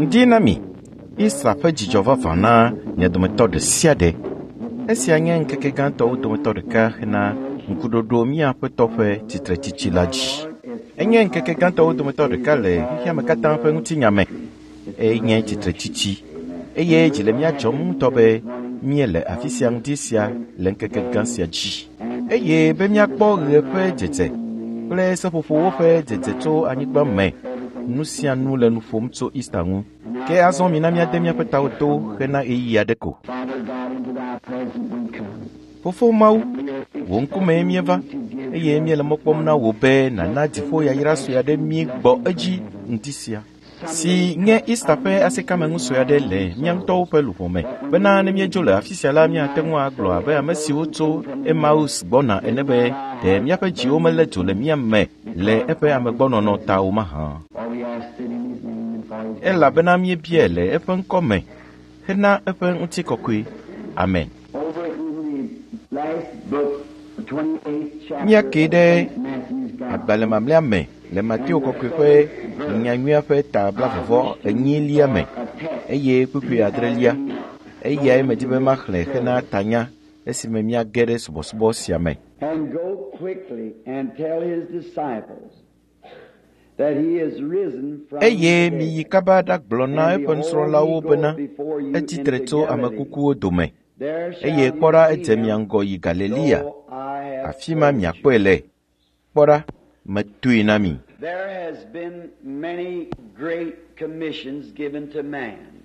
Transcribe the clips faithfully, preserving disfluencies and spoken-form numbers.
Ŋdi na mi, Ista ƒe dzidzɔ vavã na mia dometɔ ɖe sia ɖe. Esia nye ŋkeke gãtɔwo dometɔ ɖeka hena ŋkuɖoɖo mía Aƒetɔ ƒe tsitretsitsi la dzi. Enye ŋkeke gãtɔwo dometɔ ɖeka le xexeame katã ƒe ŋutinya me. Enye tsitretsitsi eye dzi le mía dzɔm ŋutɔ be míele afi sia ŋdi sia le ŋkeke gã sia dzi. Eye be míakpɔ ɣe ƒe dzedze kple seƒoƒowo ƒe dzedze tso anyigba me. Nu sia nu le nu ƒom tso Ista ŋu. Ke azɔ mina míade míaƒe tawo to hena ɣeyiɣi aɖe ko. Fofo Mawu, wò ŋkumee míeva eye míele mɔ kpɔm na wò be nàna dziƒo yayra sue aɖe mí gbɔ edzi ŋdi sia si nye Ista ƒe asikame sue aɖe le mía ŋutɔwo ƒe luʋɔ me bena ne míedzo le afi sia la míate ŋu agblɔ abe ame siwo tso Emaus gbɔna ene be ɖe míaƒe dziwo melé dzo le mía me le eƒe amegbɔnɔnɔ ta o mahã. Elabena míebiae le eƒe ŋkɔ me hena eƒe ŋutikɔkɔe. Amen. Míake ɖe agbalẽ mamlɛa me le Mateo kɔkɔe ƒe nyanyuia ƒe ta blaeve enyilia me eye kpukpui adrelia. Eyae medi be maxlẽ hena tanya esime míage ɖe subɔsubɔ sia me. And go quickly and tell his disciples that he is risen from Eye the miyi dead. kaba ɖagblɔ na And eƒe behold, nusrɔ̃lawo he bena goeth before you etsitre into tso ame Galilee. kukuwo dome. There shall Eye you kpɔ ɖa see edze mia him, ŋgɔ yi Galilea. so I have Afi ma told you. miakpɔe le. Kpɔ ɖa, metoe na mi. There has been many great commissions given to man.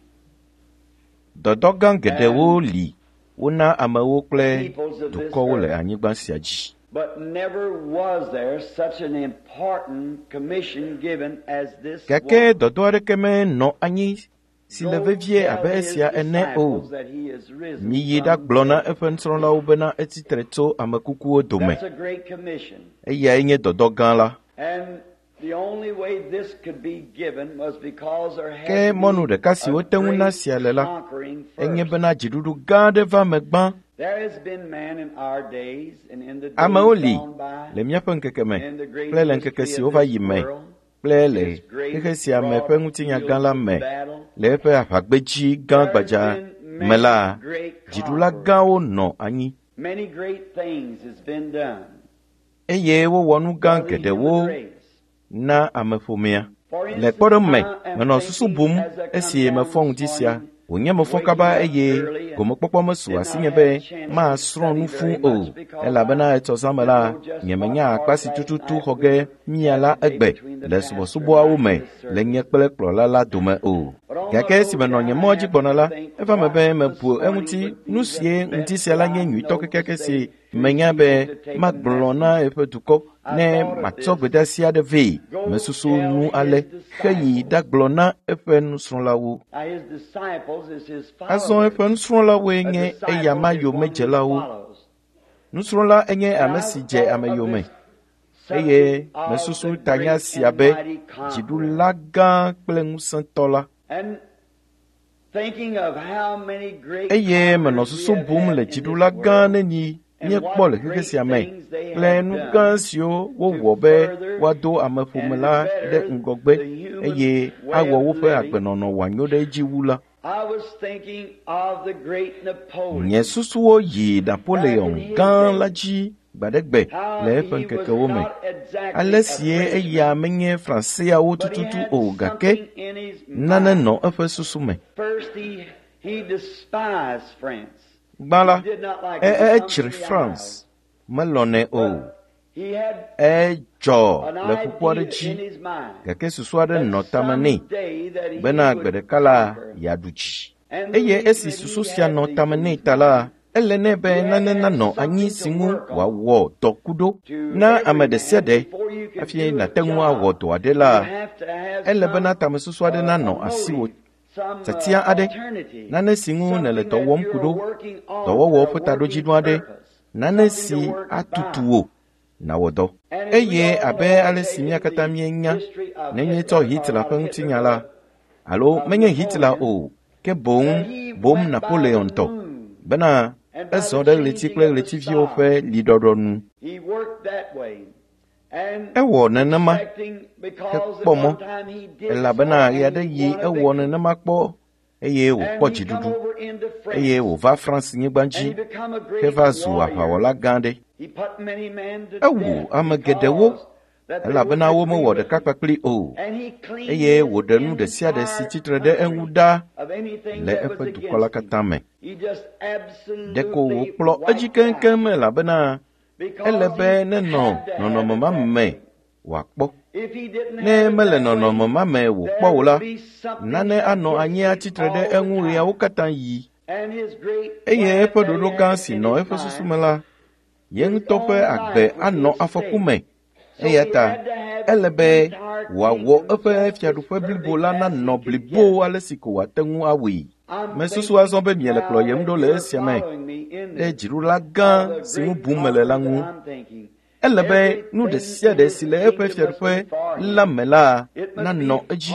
Dɔdɔ gã geɖewo li wona amewo kple Peoples of this dukɔwo le earth. anyigba sia dzi. But never was there such an important commission given as this Gake one. dɔdɔ aɖeke menɔ anyi si le Go vevie tell abe his esia ene o. disciples that he is risen Miyi from ɖagblɔ the na dead. eƒe nusrɔ̃lawo bena etsitre tso ame kukuwo dome. That's a great commission. Eyae nye dɔdɔ gã la. And the only way this could be given was because there had Ke to mɔnu be ɖeka si a wote ŋu na great sia le la, conquering enye first. bena dziɖuɖu gã aɖe va me gbã. There has been man in our days and in the days Amewo li gone by, le míaƒe ŋkeke me in the great kple le ŋkeke history siwo of va this yi me world, kple le this great xexe sia me broad ƒe ŋutinya gã field la of me battle. le eƒe aʋagbedzi gã There has gbadza been me la, many great dziɖula conquerors. gãwo nɔ anyi Many great things has been done eye wowɔ nu gã for the geɖewo human race. na ameƒomea. For Le instance, kpɔɖeŋu me, I am menɔ susu thinking bum as I come esi down mefɔ this ŋdi sia. morning, Wònye mefɔ waking kaba up eye early and gomekpɔkpɔ mesu did not asinye have be a chance to masrɔ̃ study nu very fũu o much because elabena I etsɔ zã me didn't la, know just what nyemenya akpa part si last tututu night xɔ we ge were mía la having today egbe between the le pastor and subɔsubɔawo I me in this le nye service. kple kplɔla la dome o. But on Gake my esi road menɔ down, nye I mɔ dzi happened gbɔna to la, think eva me be what this mebu morning eŋuti would be nu the sie ŋdi best sia la that nye I nyuitɔ know to kekeake say si to his menya people be to take a magblɔ na message. eƒe dukɔ I ne thought of matsɔ this. gbedeasi aɖe vɛ. Go Mesusu tell nu his ale heyi disciples. ɖagblɔ na eƒe nusrɔ̃lawo. Now his disciples is his Azɔ followers. eƒe nusrɔ̃lawoe A nye disciple eyama is one who yomedzelawo. follows. Nusrɔ̃la enye And ame I si dze thought ame of yome this eye subject of mesusu the tanya great sia and be mighty conqueror. dziɖula gã kple ŋusẽtɔ la. And thinking of how many great Eye menɔ conquerors we susu have bum had le in this dziɖula gã world neni and míekpɔ what le xexe great sia me things they kple have nu done gã siwo to wowɔ be further woado ameƒome and la ɖe better ŋgɔgbe the human eye way awɔ of woƒe living. agbenɔnɔ wòanyo ɖe edzi wu la. I was thinking of the great Napoleon Nye susuwo yi back in Napoleon his gã la day, dzi gbaɖegbe how le eƒe he was ŋkekewo me. not exactly Ale a sie eya Frenchman, menye Franseawo but he tututu had o gake something in his nane mind. nɔ eƒe susu me. First, he, he despised France. Gbã He la, did not like e it. e He etsri come from the France, Isles. melɔnɛ o. But he had Edzɔ an le ƒukpo aɖe idea dzi in his mind gake susu aɖe that nɔ tame nɛ someday that he bena gbe would ɖeka la conquer. yeaɖu dzi. And the Eye reason esi that susu he sia had nɔ these tame in nɛ his ta la, mind, ele nɛ be he had nane to have nanɔ anyi something si to ŋu work on. wòawɔ dɔ ku ɖo. To Na every ame ɖe sia man, ɖe before you can hafi do a nàte ŋu awɔ job, dɔ aɖe la, you have to have ele bena some tamesusu aɖe uh, a nanɔ asiwò, motive, some tiatia uh, aɖe, alternative, nane si ŋu nèle something dɔ that wɔm ku you're ɖo, working on dɔwɔwɔ for a ƒe working taɖodzinu aɖe, purpose, nane something si to work atutu by. wò nàwɔ dɔ. And as we Eye all abe know, ale si mía taking katã the míenya, history of ne Hitler, míetsɔ or Hitler not ƒe Hitler, ŋutinya la, but alo of menye Hitler Napoleon, o, ke boŋ that he boŋ went by the Napoleon tɔ, moon bena and by ezɔ the ɖe ɣleti changing kple of the ɣletiviwo stars. ƒe liɖɔɖɔ nu. He worked that way. Ewɔ nenema hekpɔ mɔ, elabena ɣeaɖeɣi ewɔ nenema kpɔ eye wòkpɔ dziɖuɖu eye wòva France nyigba dzi heva zu aʋawɔla gã aɖe. Ewu ame geɖewo elabena womewɔ ɖeka kpakpli o eye wòɖe nu ɖe sia ɖe si tsitre ɖe eŋu ɖa le eƒe dukɔ la katã me. Ɖeko wòkplɔ edzi keŋkeŋ elabena ele be nenɔ nɔnɔme ma me wòakpɔ. Ne mele nɔnɔme ma me wòkpɔ o la, nane anɔ anyi atsitre ɖe eŋu ɣeawo katã yi. Eye eƒe ɖoɖo gã si nɔ eƒe susu me la, ye ŋutɔ ƒe agbe anɔ afɔku me. Eya ta ele be wòawɔ eƒe fiaɖuƒe blibo la nanɔ blibo ale si ko wòate ŋu awɔe. Mesusu azɔ be miele kplɔyem ɖo le esia me ɖe dziɖula gã si ŋu bum mele la ŋu. Ele be nu ɖe sia ɖe si le eƒe fiaɖuƒe la me la nanɔ edzi.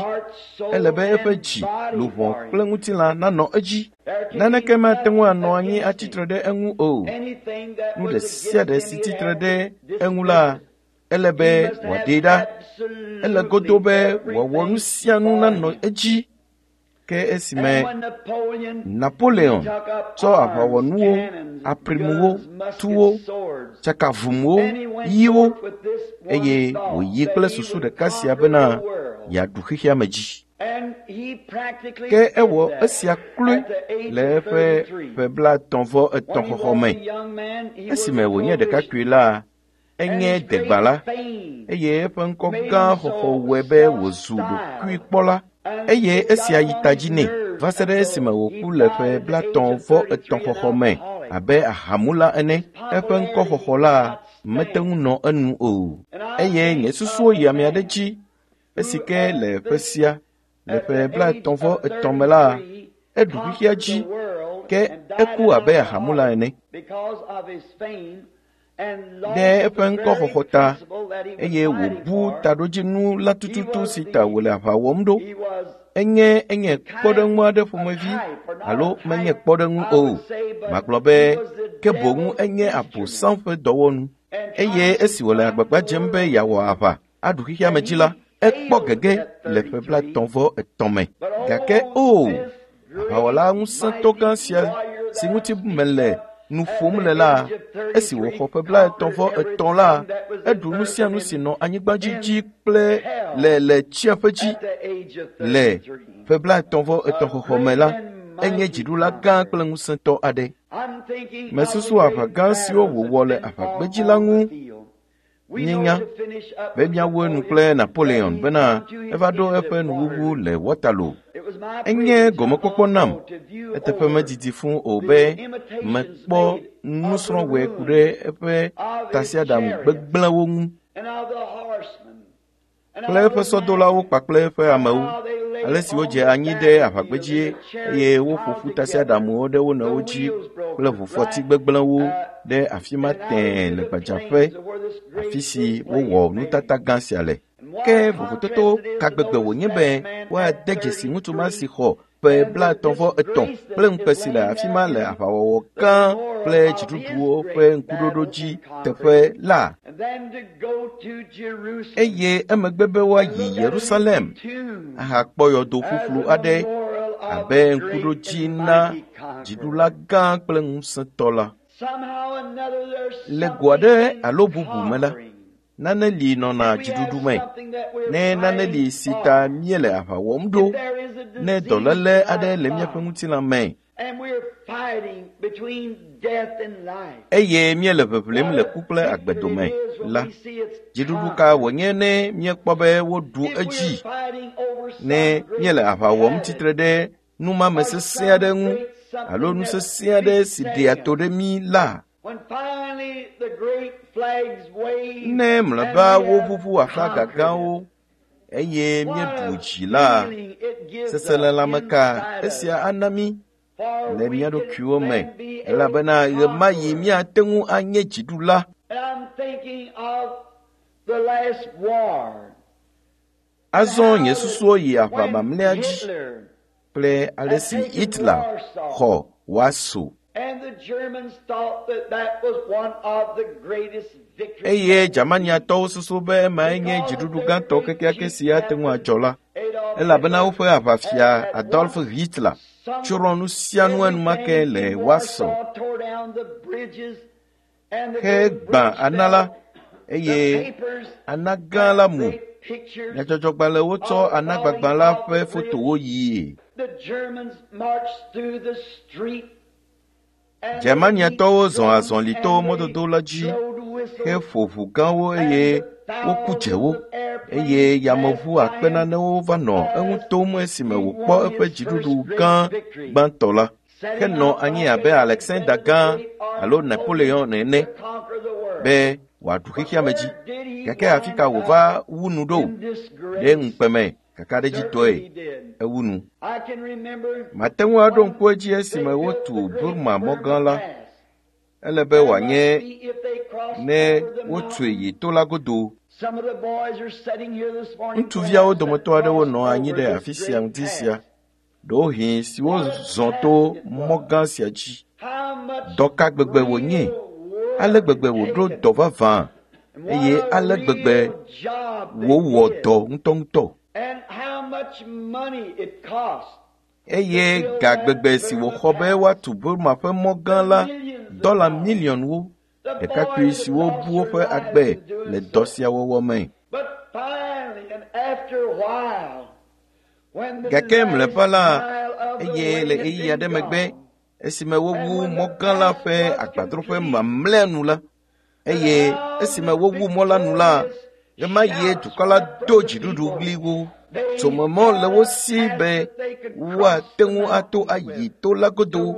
Ele be eƒe dzi, luʋɔ kple ŋutilã nanɔ edzi. Naneke mate ŋu anɔ anyi atsitre ɖe eŋu o. Nu ɖe sia ɖe si tsitre ɖe eŋu la, ele be wòaɖee ɖa. Ele godo be wòawɔ nu sia nu nanɔ edzi. Ke esime Napoleon tsɔ aʋawɔnuwo, aprimuwo, tuwo, tsakavumwo, ɣiwo eye wòyi kple susu ɖeka sia bena yeaɖu xexea me dzi. Ke ewɔ esia kloe le eƒe ƒe blaetɔ̃ vɔ etɔ̃ xɔxɔ me. Esime wònye ɖekakpui la, enye degbala eye eƒe ŋkɔ gã xɔxɔ wɔe be wòzu ɖokuikpɔla eye esia yi ta dzi nɛ va se ɖe esime wòku le ƒe blaetɔ̃ vɔ etɔ̃ xɔxɔ me abe ahamula ene. Eƒe ŋkɔxɔxɔ la mete ŋu nɔ enu o. Eye nye susuwo yi ame aɖe dzi esi ke le ƒe sia le ƒe blaetɔ̃ vɔ etɔ̃ me la, eɖu xexea dzi ke eku abe ahamula ene. Ɖe eƒe ŋkɔxɔxɔ ta eye wòbu taɖodzinu la tututu si ta wòle aʋa wɔm ɖo. Enye enye kpɔɖeŋu aɖe ƒomevi alo menye kpɔɖeŋu o. Magblɔ be ke boŋ enye Abosam ƒe dɔwɔnu. Eye esi wòle agbagba dzem be yeawɔ aʋa aɖu xexea me dzi la, ekpɔ gege le ƒe blaetɔ̃ vɔ etɔ̃ me. Gake o, aʋawɔla ŋusẽtɔ gã sia si ŋuti mele nu ƒom le la, esi wòxɔ ƒe blaetɔ̃ vɔ etɔ̃ la, eɖu nu sia nu si nɔ anyigba dzi dzi kple le le tsiaƒe dzi. Le ƒe blaetɔ̃ vɔ etɔ̃ xɔxɔ me la, enye dziɖula gã kple ŋusẽtɔ aɖe. Mesusu aʋa gã siwo wòwɔ le aʋagbedzi la ŋu. Míenya be míawu enu kple Napoleon bena eva ɖo eƒe nuwuwu le Waterloo. Enye gɔmekpɔkpɔ nam eteƒe medidi fũu o be mekpɔ nusrɔ̃wɔe ku ɖe eƒe tasiaɖam gbegblẽwo ŋu kple eƒe sɔdolawo kpakple eƒe amewo, ale si wodze anyi ɖe aʋagbedzi eye woƒo ƒu tasiaɖamwo ɖe wo nɔewo dzi kple ʋufɔti gbegblẽwo ɖe afi ma tẽe le gbadzaƒe, afi si wowɔ nutata gã sia le. Ke vovototo ka gbegbe wònye be woade dzesi ŋutsu ma si xɔ ƒe blaetɔ̃ vɔ etɔ̃ kple ŋukpe si le afi ma le aʋawɔwɔ gã kple dziɖuɖuwo ƒe ŋkuɖoɖo dzi teƒe la. Eye emegbe be woayi Yerusalem ahakpɔ yɔdo ƒuƒlu aɖe abe ŋkuɖodzi na dziɖula gã kple ŋusẽtɔ la. Le go aɖe alo bubu me la, nane li nɔna dziɖuɖu me. Ne nane li si ta míele aʋa wɔm ɖo, ne dɔléle aɖe le míaƒe ŋutilã me eye míele ʋeʋlem le ku kple agbe dome la, dziɖuɖu ka wònye ne míekpɔ be woɖu edzi? Ne míele aʋa wɔm tsitre ɖe numame sesẽ aɖe ŋu alo nu sesẽ aɖe si ɖea to ɖe mí la, ne mlɔeba woʋuʋu aflaga gãwo eye míeɖu dzi la, seselelãme ka esia ana mí le mía ɖokuiwo me elabena ɣemaɣi míate ŋu anye dziɖula. Azɔ nye susuwo yi aʋa mamlɛa dzi kple ale si Hitler xɔ Warsaw. Eye Germaniatɔwo susu be emae nye dziɖuɖu gãtɔ kekeake si ate ŋu adzɔ la, elabena woƒe aʋafia Adolf Hitler tsrɔ̃ nu sia nu enumake le Warsaw hegbã ana la eye ana gã la mu. Nyadzɔdzɔgbalẽwo tsɔ anagbagbã la ƒe fotowo yie. Germaniatɔwo zɔ azɔli to mɔdodo la dzi heƒo ʋu gãwo eye woku dzewo eye yameʋu akpe nanewo va nɔ eŋu tom esime wòkpɔ eƒe dziɖuɖu gã gbãtɔ la henɔ anyi abe Alexander Gã alo Napoleon ene be wòaɖu xexeame dzi. Gake afi ka wòva wu nu ɖo? Ɖe ŋukpeme kakaɖedzitɔe ewu nu. Mate ŋu aɖo ŋku edzi esime wotu Burma mɔ gã la. Ele be wòanye ne wotue yi to la godo. Ŋutsuviawo dometɔ aɖewo nɔ anyi ɖe afi sia ŋdi sia, ɖewohĩ siwo zɔ to mɔ gã sia dzi. Dɔ ka gbegbe wònye? Ale gbegbe wòɖo dɔ vavã eye ale gbegbe wòwɔ dɔ ŋutɔŋutɔ. Eye ga gbegbe si wòxɔ be woatu Burma ƒe mɔ gã la dɔla miliɔnwo, ɖekakpui siwo bu woƒe agbe le dɔ sia wɔwɔ me. Gake mlɔeba la, eye le ɣeyiɣi aɖe megbe, esime wowu mɔ gã la ƒe agbadroƒe mamlɛa nu la, eye esime wowu mɔ la nu la, ɣemaɣie dukɔ la do dziɖuɖu ɣliwo. Tsomemɔ le wo si be woate ŋu ato ayi to la godo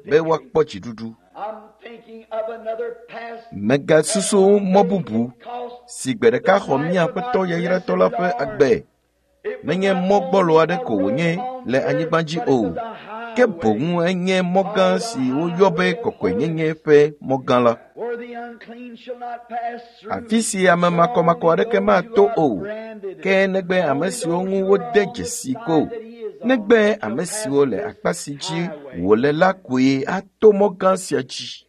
be woakpɔ dziɖuɖu. Megasusu mɔ bubu si gbe ɖeka xɔ mía Aƒetɔ yayratɔ la ƒe agbe. Menye mɔ gbɔlo aɖe ko wònye le anyigba dzi o, ke boŋ enye mɔ gã si woyɔ be kɔkɔenyenye ƒe mɔ gã la. Afi si ame makɔmakɔ aɖeke mato o, ke negbe ame siwo ŋu wode dzesi ko, negbe ame siwo le akpa si dzi wòle la koe ato mɔ gã sia dzi.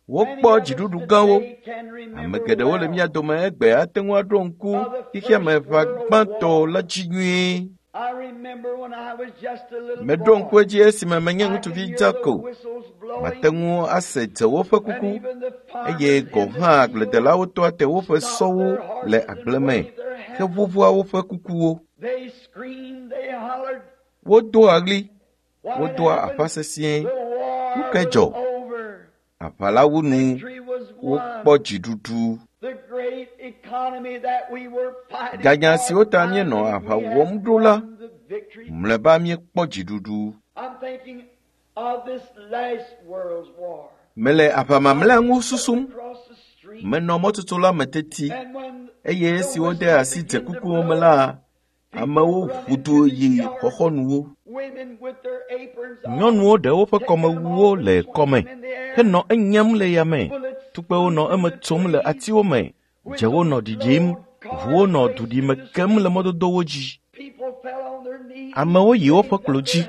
Wokpɔ dziɖuɖu gãwo. Ame geɖewo le mía dome egbe ate ŋu aɖo ŋku xexeame ʋa gbãtɔ la dzi nyuie. Meɖo ŋku edzi esime menye ŋutsuvi dza ko. Mate ŋu ase dzewo ƒe kuku eye gɔ̃ hã agbledelawo tɔa te woƒe sɔwo le agble me heʋuʋua woƒe kukuwo. Wodoa ɣli, wodoa aƒa sesĩe. Nu kae dzɔ? Aʋa la wu nu, wokpɔ dziɖuɖu. Ganya siwo ta míenɔ aʋa wɔm ɖo la, mlɔeba míekpɔ dziɖuɖu. Mele aʋa mamlɛa ŋu susum. Menɔ mɔtutu la me teti eye esi wode asi dzekukuwo me la, amewo ʋu du yi xɔxɔnuwo. Nyɔnuwo ɖe woƒe kɔmewuwo le kɔme henɔ enyam le yame. Tukpewo nɔ eme tsom le atiwo me, dzewo nɔ ɖiɖim, ʋuwo nɔ duɖime kem le mɔdodowo dzi. Amewo yi woƒe klo dzi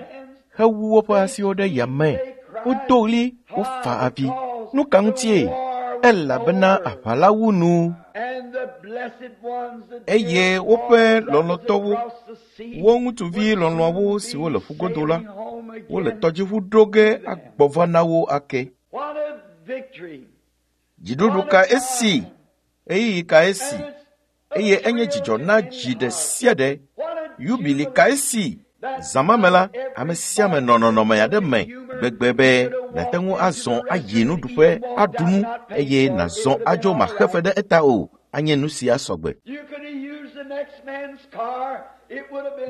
hewu woƒe asiwo ɖe yame. Wodo ɣli, wofa avi. Nu ka ŋutie? Elabena aʋa la wu nu. Eye woƒe lɔlɔ̃tɔwo, wo ŋutsuvi lɔlɔ̃awo siwo le ƒugodo la, wole tɔdziʋu ɖo ge agbɔ va na wo ake. Dziɖuɖu ka esi, ɣeyiɣi ka esi, eye enye dzidzɔ na dzi ɖe sia ɖe. Yubili ka esi. Zã ma me la, ame sia ame nɔ nɔnɔme aɖe me gbegbe be nàte ŋu azɔ ayi nuɖuƒe aɖu nu eye nàzɔ adzo maxe fe ɖe eta o, anye nu sia sɔgbe.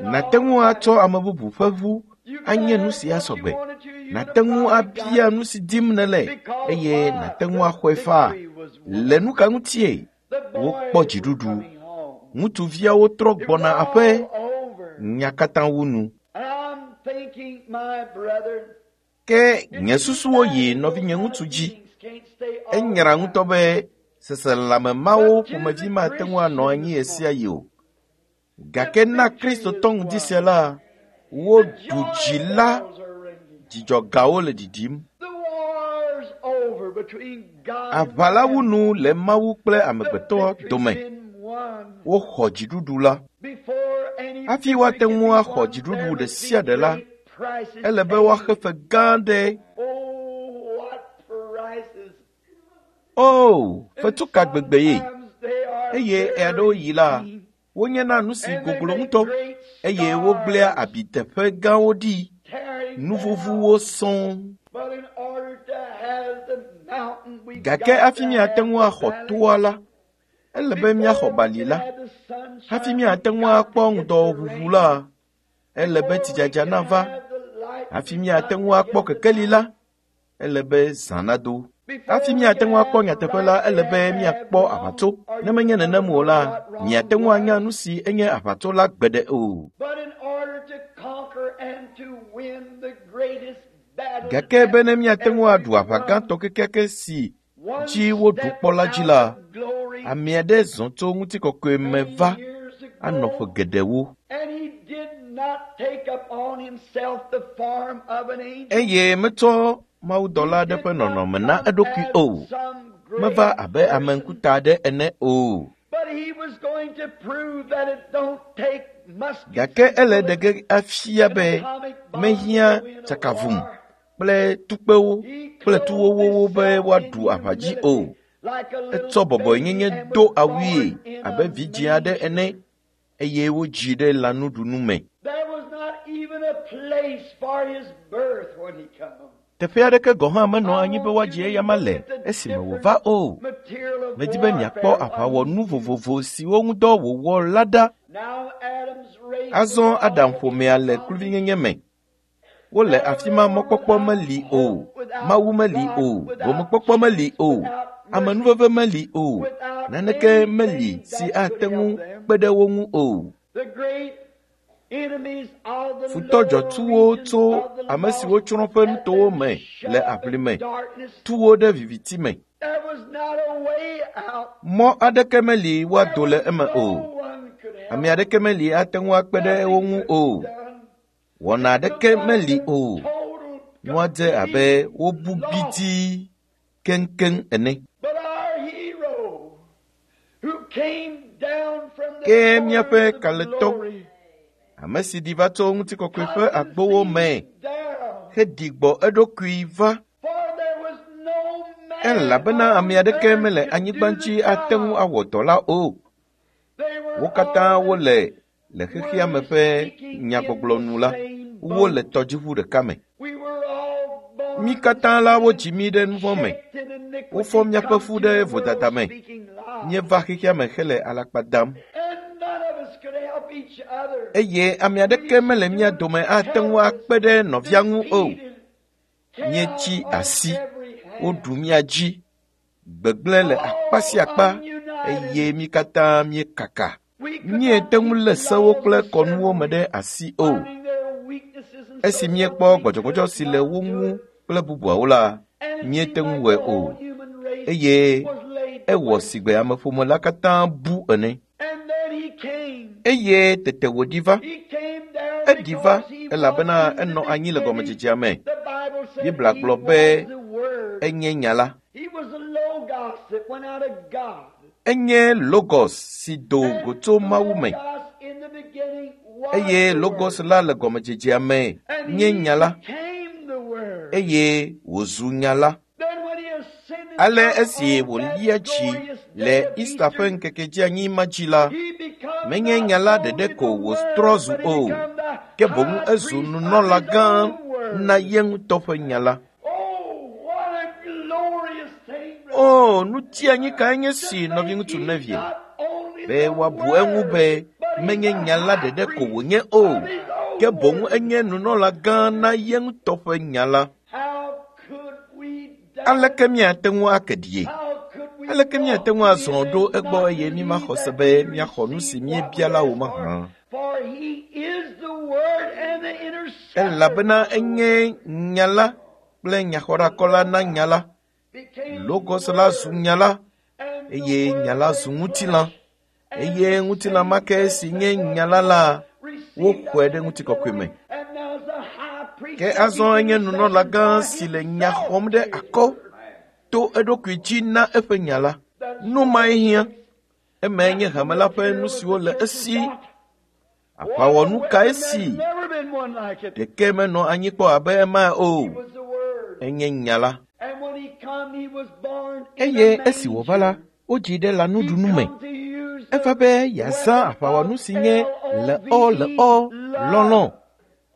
Nàte ŋu atsɔ ame bubu ƒe ʋu anye nu sia sɔgbe. Nàte ŋu abia nu si dim nèle eye nàte ŋu axɔe faa. Le nu ka ŋutie? Wokpɔ dziɖuɖu. Ŋutsuviawo trɔ gbɔna aƒe. Nya katã wu nu. Ke nye susuwo yi nɔvinye ŋutsu dzi. Enyra ŋutɔ be seselelãme mawo ƒomevi mate ŋu anɔ anyi ɣe sia ɣi o. Gake na Kristotɔ ŋdi sia la, woɖu dzi la, dzidzɔgawo le ɖiɖim. Aʋa la wu nu le Mawu kple amegbetɔ dome. Woxɔ dziɖuɖu la. Hafi woate ŋu axɔ dziɖuɖu ɖe sia ɖe la, ele be woaxe fe gã aɖe. O, fetu ka gbegbe ye! Eye ɣeaɖewoɣi la, wonyena nu si goglo ŋutɔ eye wogblẽa abi teƒe gãwo ɖi, nu vuvuwo sɔŋ. Gake hafi míate ŋu axɔ toa la, ele be míaxɔ bali la. Hafi míate ŋu akpɔ ŋdɔʋuʋu la, ele be tsidzadza nava. Hafi míate ŋu akpɔ kekeli la, ele be zã nado. Hafi míate ŋu akpɔ nyateƒe la, ele be míakpɔ aʋatso. Ne menye nenem o la, miate ŋu anya nu si enye aʋatso la gbeɖe o. Gake bene míate ŋu aɖu aʋa gãtɔ kekeake si dzi woɖu kpɔ la dzi la, ame aɖe zɔ tso ŋutikɔkɔe me va anɔ ƒe geɖewo. Eye metsɔ mawudɔla aɖe ƒe nɔnɔme na eɖokui o. Meva abe ame ŋkuta aɖe ene o. Gake ele ɖe ge afia be mehiã tsakavum kple tukpewo kple tuwowowo be woaɖu aʋa dzi o. Etsɔ bɔbɔenyenye do awui abe vidzĩ aɖe ene eye wodzii ɖe lãnuɖunu me. Teƒe aɖeke gɔ̃ hã menɔ anyi be woadzi eyama le esime wòva o. Medi be miakpɔ aʋawɔnu vovovo siwo ŋudɔ wòwɔ la ɖa. Azɔ Adam ƒomea le kluvinyenye me. Wole afi ma mɔkpɔkpɔ meli o, Mawu meli o, gomekpɔkpɔ meli o, amenuveve meli o, naneke meli si ate ŋu kpe ɖe wo ŋu o. Futɔ dzɔtsuwo tso ame siwo tsrɔ̃ ƒe nutowo me le aʋlime tu wo ɖe viviti me. Mɔ aɖeke meli woado le eme o. Ame aɖeke meli ate ŋu akpe ɖe wo ŋu o. Wɔna aɖeke meli o. Nua dze abe wobu gbidii keŋkeŋ ene. Ke míaƒe kalẽtɔ, ame si ɖi va tso ŋutikɔkɔe ƒe agbowo me heɖi gbɔ eɖokui va, elabena ame aɖeke mele anyigba dzi ate ŋu awɔ dɔ la o. Wo katã wole le xexea me ƒe nyagbɔgblɔ nu la, wole tɔdziʋu ɖeka me. Mí katã la wodzi mí ɖe nu vɔ̃ me. Wofɔ míaƒe fu ɖe vodada me. Míeva xexea me hele alakpa dam. Eye ame aɖeke mele mía dome ate ŋu akpe ɖe nɔvia ŋu o. Míetsi asi, woɖu mía dzi, gbegblẽ le akpa sia akpa eye mí katã míekaka. Míete ŋu lé sewo kple kɔnuwo me ɖe asi o. Esi míekpɔ gbɔdzɔgbɔdzɔ si le wo ŋu kple bubuawo la, míete ŋu wɔe o. Eye ewɔ sigbe ameƒome la katã bu ene. Eye tete wòɖi va. Eɖi va elabena enɔ anyi le gɔmedzedzea me. Biblia gblɔ be enye nya la. Enye Logos si do go tso Mawu me. Eye Logos la le gɔmedzedzea me nye nya la. Eye wòzu nya la. Ale esi wòlia dzi le Easter ƒe ŋkeke dzeanyi ma dzi la, menye nya la ɖeɖe ko wòtrɔ zu o, ke boŋ ezu nunɔla gã na ye ŋutɔ ƒe nya la. O, nu tianyi kae nye si nɔviŋutsu Neville, be woabu eŋu be menye nya la ɖeɖe ko wònye o, ke boŋ enye nunɔla gã na ye ŋutɔ ƒe nya la. Aleke míate ŋu ake ɖie? Aleke míate ŋu azɔ ɖo egbɔ eye mímaxɔ se be míaxɔ nu si míebia la o mahã? Elabena enye nya la kple nyaxɔɖakɔla na nya la. Logos la zu nya la, eye nya la zu ŋutilã. Eye ŋutilã ma ke si nye nya la la, woxɔe ɖe ŋutikɔkɔe me. Ke azɔ enye nunɔla gã si le nya xɔm ɖe akɔ To eɖokui dzi na eƒe nya la. Nu mae hiã. Emae nye hame la ƒe nu siwo le esi. Aʋawɔnu kae si? Ɖeke menɔ anyi kpɔ abe ema o. Enye nya la. Eye esi wòva la, wodzii ɖe lãnuɖunu me. Eva be yeazã aʋawɔnu si nye leɔ leɔ lɔlɔ̃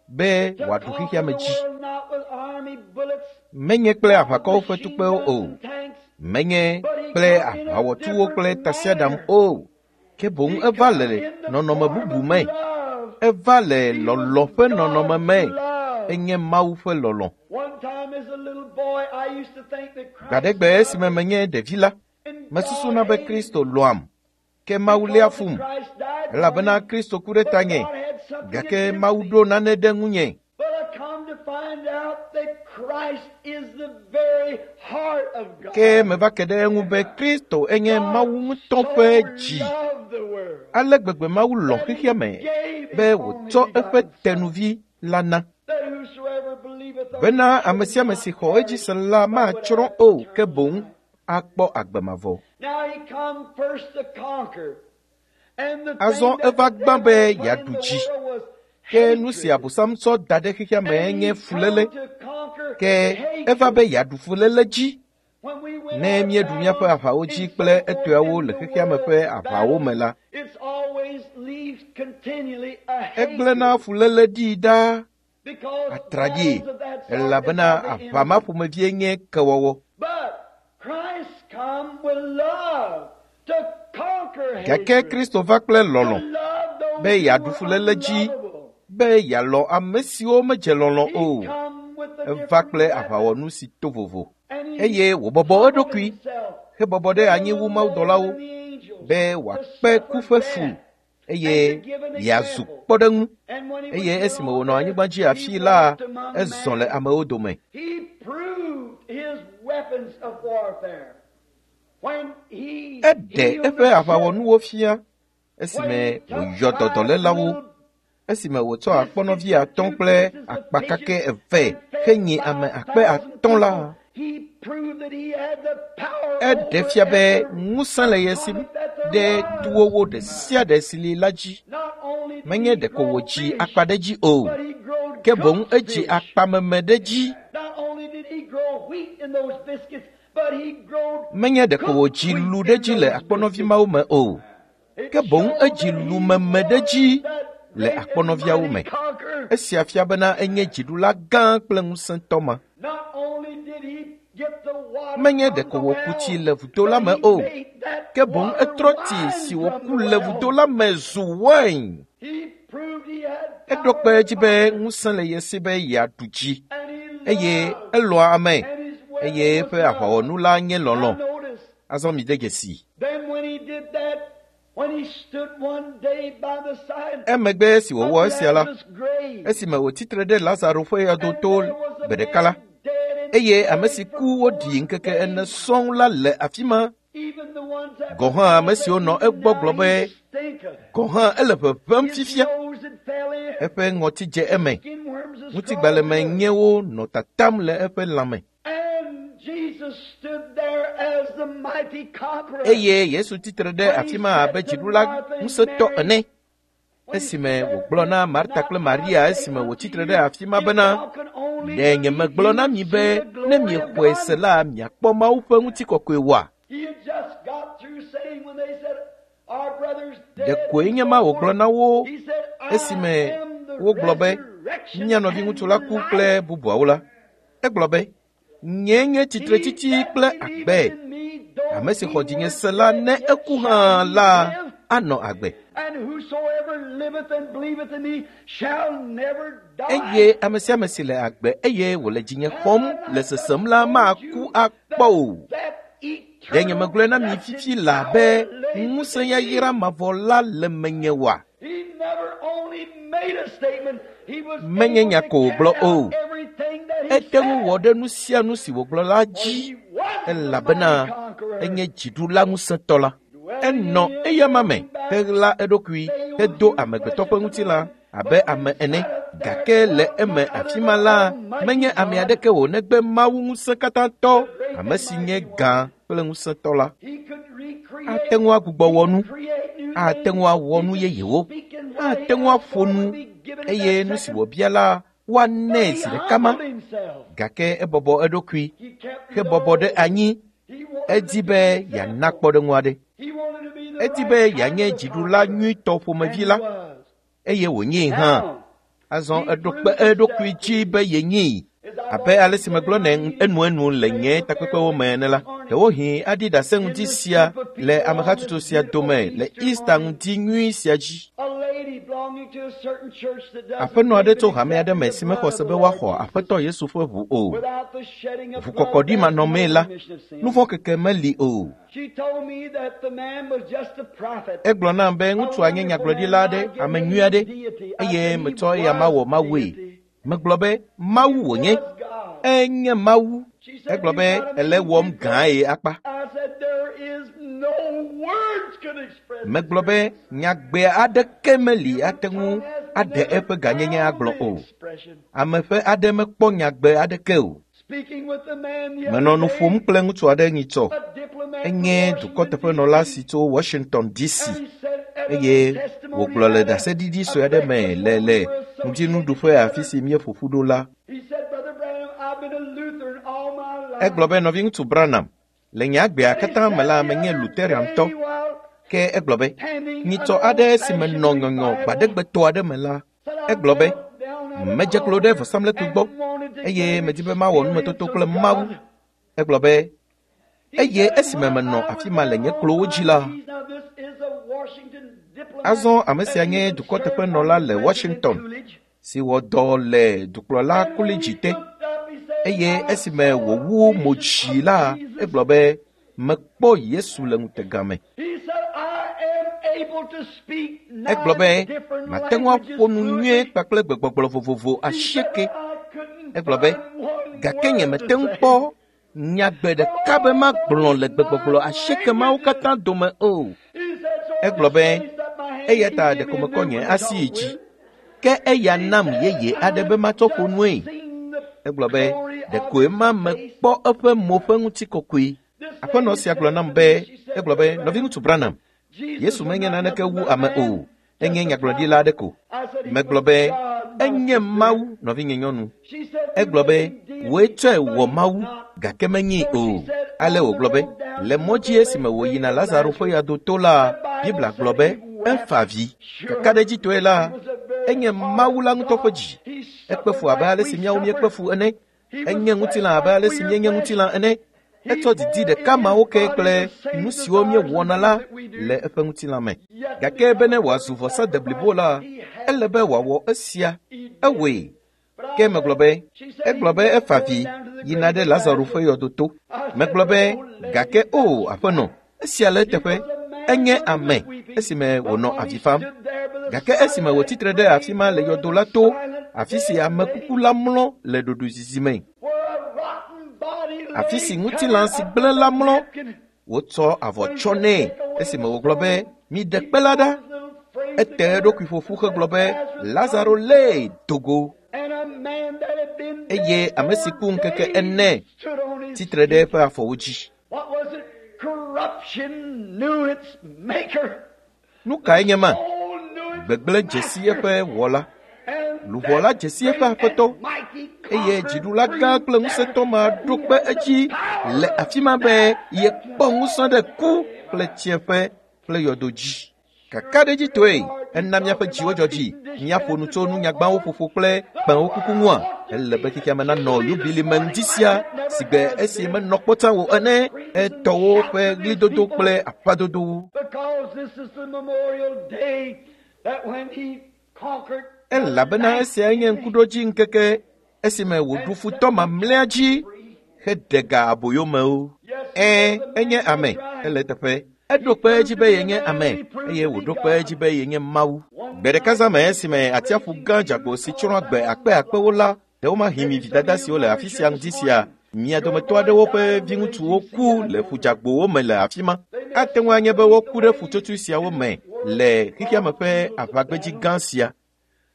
be wòaɖu xexeame dzi. Menye kple aʋakɔwo ƒe tukpewo o. Menye kple aʋawɔtuwo kple tasiaɖam o. Ke boŋ eva le nɔnɔme bubu me. Eva le lɔlɔ̃ ƒe nɔnɔme me. Enye Mawu ƒe lɔlɔ̃. Gbaɖegbe esime menye ɖevi la, mesusuna be Kristo lɔ̃am, ke Mawu léa fum, elabena Kristo ku ɖe tanye, gake Mawu ɖo nane ɖe ŋunye. Ke meva ke ɖe eŋu be Kristo enye Mawu ŋutɔ ƒe dzi. Ale gbegbe Mawu lɔ̃ xexea me be wòtsɔ eƒe tenuvi la na. Bena ame sia ame si xɔ edzi se la matsrɔ̃ o, ke boŋ akpɔ agbe mavɔ. Azɔ eva gbã be yeaɖu dzi. Ke nu si Abosam tsɔ da ɖe xexea me nye fuléle. Ke eva be yeaɖu fuléle dzi. Ne míeɖu míaƒe aʋawo dzi kple etɔeawo le xexea me ƒe aʋawo me la, egblẽna fuléle ɖi ɖaa atraɖii, elabena aʋa ma ƒomevie nye kewɔwɔ. Gake Kristo va kple lɔlɔ̃ be yeaɖu fuléle dzi, be yealɔ̃ ame siwo medze lɔlɔ̃ o. Eva kple aʋawɔnu si to vovo, eye wòbɔbɔ eɖokui hebɔbɔ ɖe anyi wu mawudɔlawo be wòakpe ku ƒe fu eye yeazu kpɔɖeŋu. Eye esime wònɔ anyigba dzi afii la, ezɔ le amewo dome. Eɖe eƒe aʋawɔnuwo fia esime wòyɔ dɔ dɔlélawo, esime wòtsɔ akpɔnɔvi atɔ̃ kple akpa kakɛ eve henyi ame akpe atɔ̃ la. Eɖe fia be ŋusẽ le ye si ɖe tuwowo ɖe sia ɖe si li la dzi. Menye ɖeko wòdzi akpa ɖe dzi o, ke boŋ edzi akpameme ɖe dzi. Menye ɖeko wòdzi lu ɖe dzi le akpɔnɔvi mawo me o, ke boŋ edzi lumeme ɖe dzi le akpɔnɔviawo me. Esia fia bena enye dziɖula gã kple ŋusẽtɔ ma. Menye ɖeko wòku tsi le vudo la me o, ke boŋ etrɔ tsi si wòku le vudo la me zu wain. Eɖo kpe edzi be ŋusẽ le ye si be yeaɖu dzi, eye elɔ̃a ame, eye eƒe aʋawɔnu la nye lɔlɔ̃. Azɔ mi de dzesi. Emegbe esi wòwɔ esia la, esime wòtsitre ɖe Lazaro ƒe yɔdo to gbe ɖeka la, eye ame si ku woɖi ŋkeke ene sɔŋ la le afi ma. Gɔ̃ hã ame siwo nɔ egbɔ gblɔ be, gɔ̃ hã ele ʋeʋẽm fifia. Eƒe ŋɔti dze eme, ŋutigbalẽme nyẽwo nɔ tatam le eƒe lãme. Eye Yesu tsitre ɖe afi ma abe dziɖula ŋusẽtɔ ene. Esime wògblɔ na Marta kple Maria esime wòtsitre ɖe afi ma bena, ɖe nyemegblɔ na mi be ne miexɔe se la miakpɔ Mawu ƒe ŋutikɔkɔe oa? Ɖekoe nye ma wògblɔ na wo esime wogblɔ be mía nɔviŋutsu la ku kple bubuawo la. Egblɔ be, nye nye tsitretsitsi kple agbe. Ame si xɔ dzinye se la, ne eku hã la, anɔ agbe. Eye ame sia ame si le agbe eye wòle dzinye xɔm le sesem la maku akpɔ o. Ɖe nyemegblɔe na mi fifi la be ŋusẽ yayra mavɔ la le menye oa? Menye nya ko wògblɔ o. Ete ŋu wɔ ɖe nu sia nu si wògblɔ la dzi, elabena enye dziɖula ŋusẽtɔ la. Enɔ eyama me heɣla eɖokui hedo amegbetɔ ƒe ŋutilã abe ame ene. Gake le eme afi ma la, menye ame aɖeke o negbe Mawu ŋusẽkatãtɔ, ame si nye gã kple ŋusẽtɔ la. Ate ŋu agbugbɔ wɔ nu, ate ŋu awɔ nu yeyewo, ate ŋu aƒo nu, eye nu si wòbia la woanɛ zi ɖeka ma. Gake ebɔbɔ eɖokui, hebɔbɔ ɖe anyi. Edi be yeana kpɔɖeŋu aɖe. Edi be yeanye dziɖula nyuitɔ ƒomevi la, eye wònyee hã. Azɔ eɖo kpe eɖokui dzi be yenyee. Abe ale si megblɔ nɛ enuenu le nye takpekpewo me ene la, ɖewohĩ aɖi ɖase ŋdi sia le amehatsotso sia dome le Easter ŋdi nyui sia dzi. Aƒenɔ aɖe tso hame aɖe me si mexɔ se be woaxɔ Aƒetɔ Yesu ƒe ʋu o. Ʋukɔkɔɖi manɔmee la, nu vɔ̃ keke meli o. Egblɔ nam be ŋutsua nye nyagblɔɖila aɖe, ame nyui aɖe, eye metsɔ eya mawɔ Mawue. Megblɔ be Mawu wònye. Enye Mawu. Egblɔ be ele wɔm gãe akpa. Megblɔ be nyagbe aɖeke meli ate ŋu aɖe eƒe gãnyenye agblɔ o. Ame ƒe aɖe mekpɔ nyagbe aɖeke o. Menɔ nu ƒom kple ŋutsu aɖe nyitsɔ. Enye dukɔteƒenɔla si tso Washington D C eye wògblɔ le ɖaseɖiɖi sue aɖe me le le ŋutinuɖuƒe afi si míeƒo ƒu ɖo la. Egblɔ be nɔviŋutsu Branham, le nye agbea katã me la menye Lutheran-tɔ. Ke egblɔ be nyitsɔ aɖe si menɔ nyɔnyɔ gbaɖegbetɔ aɖe me la, egblɔ be medze klo ɖe vɔsamlekpui gbɔ eye medi be mawɔ numetoto kple Mawu. Egblɔ be eye esime menɔ afi ma le nye klowo dzi la, azɔ ame sia nye dukɔteƒenɔla le Washington si wɔ dɔ le dukplɔla kɔledzi te. Eye esime wòwu mo dzi la, egblɔ be mekpɔ Yesu le ŋutega me. Egblɔ be mate ŋu aƒo nu nyuie kpakple gbegbɔgblɔ vovovo asieke. Egblɔ be gake nye mete ŋu kpɔ nyagbe ɖeka be magblɔ le gbegbɔgblɔ asieke mawo katã dome o. Egblɔ be eya ta ɖeko mekɔ nye asi yi dzi, ke eya nam yeye aɖe be matsɔ ƒo nue. Egblɔ be ɖekoe ma mekpɔ eƒe mo ƒe ŋutikɔkɔe. Aƒenɔ sia gblɔ nam be, egblɔ be nɔviŋutsu Branham, Yesu menye naneke wu ame o, enye nyagblɔɖila aɖe ko. Megblɔ be enye Mawu, nɔvinye nyɔnu. Egblɔ be wòe tsɔe wɔ Mawu, gake menyee o. Ale wògblɔ be le mɔ dzi esime wòyina Lazaro ƒe yadoto la, Biblia gblɔ be efa avi. Kakaɖedzitɔe la, enye Mawu la ŋutɔ ƒe dzi. Ekpe fu abe ale si míawo míekpe fu ene. Enye ŋutilã abe ale si míenye ŋutilã ene. Etsɔ didi ɖeka mawo ke kple nu siwo míewɔna la le eƒe ŋutilã me. Gake bene wòazu vɔsa deblibo la, ele be wòawɔ esia. Ewɔe. Ke megblɔ be, egblɔ be efa avi yina ɖe Lazaro ƒe yɔdoto. Megblɔ be, gake o aƒenɔ, esia le eteƒe. Enye ame esime wònɔ avi fam. Gake esime wòtsitre ɖe afi ma le yɔdo la to, afi si amekuku la mlɔ le ɖoɖoezizi me, afi si ŋutilã si gblẽ la mlɔ, wotsɔ avɔ tsɔ nɛ esime wògblɔ be miɖe kpe la ɖa. Ete eɖokui ƒoƒu hegblɔ be Lazaro lée dogo. Eye ame si ku ŋkeke ene tsitre ɖe eƒe afɔwo dzi. Nu kae nye ma? Gbegblẽ dze si eƒe wɔla. Luʋɔ la dze si eƒe aƒetɔ, eye dziɖula gã kple ŋusẽtɔ ma ɖo kpe edzi le afi ma be yekpɔ ŋusẽ ɖe ku kple tsiẽƒe kple yɔdo dzi. Kakaɖedzitɔe ena míaƒe dziwo dzɔ dzi. Míaƒo nu tso nunyagbawo ƒoƒo kple kpẽwo kuku ŋua. Ele be xexea me nanɔ yubili me ŋdi sia si gbe esi menɔ kpɔta o ene, etɔwo ƒe ɣlidodo kple aƒadodowo. Elabena esia nye ŋkuɖodzi ŋkeke esime wòɖu futɔ mamlɛa dzi heɖe ga aboyomewo. Ɛ̃, enye ame, ele eteƒe. Eɖo kpe edzi be yenye ame, eye wòɖo kpe edzi be yenye Mawu. Gbe ɖeka zã me esime atsiaƒu gã dzagbo si tsrɔ̃ agbe akpe akpewo la, ɖewomahi mi vidada siwo le afi sia ŋdi sia, mia dometɔ aɖewo ƒe viŋutsuwo ku le ƒudzagbowo me le afi ma. Ate ŋu anye be woku ɖe ƒutsotsoe siawo me le xexeame ƒe aʋagbedzi gã sia.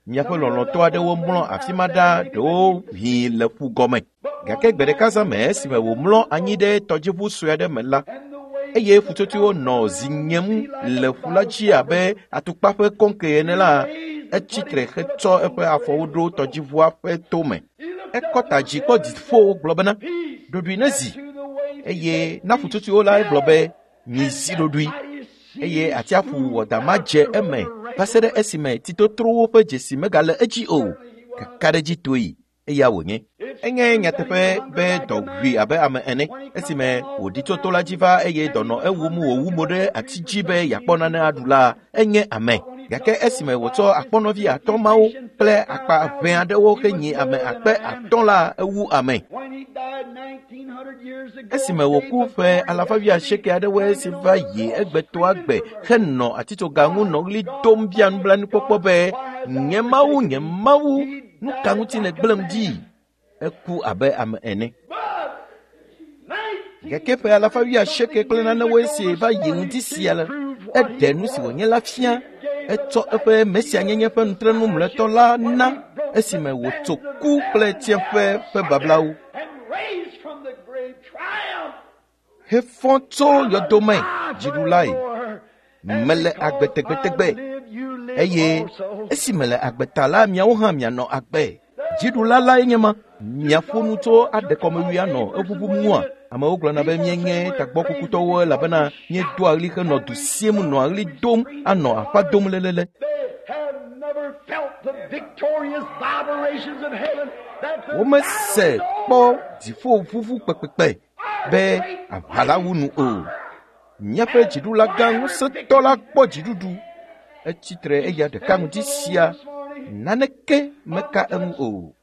Miaƒe lɔlɔ̃tɔ aɖewo mlɔ afi ma ɖa, ɖewo hĩ le ƒu gɔme. Gake gbe ɖeka zã me esime wòmlɔ anyi ɖe tɔdziʋu sue aɖe me la, eye ƒutsotsoewo nɔ zi nyem le ƒu la dzi abe atukpa ƒe kɔŋke ene la, etsi tre hetsɔ eƒe afɔwo ɖo tɔdziʋua ƒe tome. Ekɔ ta dzi kpɔ dziƒo gblɔ bena, ɖoɖoe nezi. Eye na ƒutsotsoewo la egblɔ be, mizi ɖoɖoe. Eye atsiaƒu wɔdama dze eme va se ɖe esime tsitotrowo ƒe dzesi megale edzi o. Kakaɖedzitoe eya wònye. Enye nyateƒe be dɔ ʋui abe ame ene esime wòɖi tso to la dzi va eye dɔ nɔ ewum wòwu mo ɖe ati dzi be yeakpɔ nane aɖu la, enye ame. Gake esime wòtsɔ akpɔnɔvi atɔ̃ mawo kple akpa ʋɛ aɖewo henyi ame akpe atɔ̃ la, ewu ame. Esime wòku ƒe alafa wuiasieke aɖewoe si va yi egbetɔa gbe henɔ atitsoga ŋu nɔ ɣli dom bia nublanuikpɔkpɔ be, nye Mawu, nye Mawu, nu ka ŋuti nègblẽm ɖi? Eku abe ame ene. Gake ƒe alafa wuiasieke kple nanewoe si va yi ŋdi sia la, eɖe nu si wònye la fia. Etsɔ eƒe mesianyenye ƒe nutrenu mlɔetɔ la na esime wòtso ku kple tsiẽƒe ƒe bablawo. Hefɔ tso yɔdome dziɖulae. Mele agbe tegbetegbe eye esi mele agbe ta la, miawo hã mianɔ agbe. Dziɖula lae nye ma. Miaƒo nu tso aɖekɔmewui anɔ eʋuʋum ŋua? Amewo gblɔna be míenye tagbɔkukutɔwo elabena míedoa ɣli henɔ du siem nɔa ɣli dom anɔ aƒa dom lelele. Womese kpɔ dziƒoʋuʋu kpekpekpe be aʋa la wu nu o. Míaƒe dziɖula gã ŋusẽtɔ la kpɔ dziɖuɖu. Etsi tre eya ɖeka ŋuti sia, naneke meka eŋu o.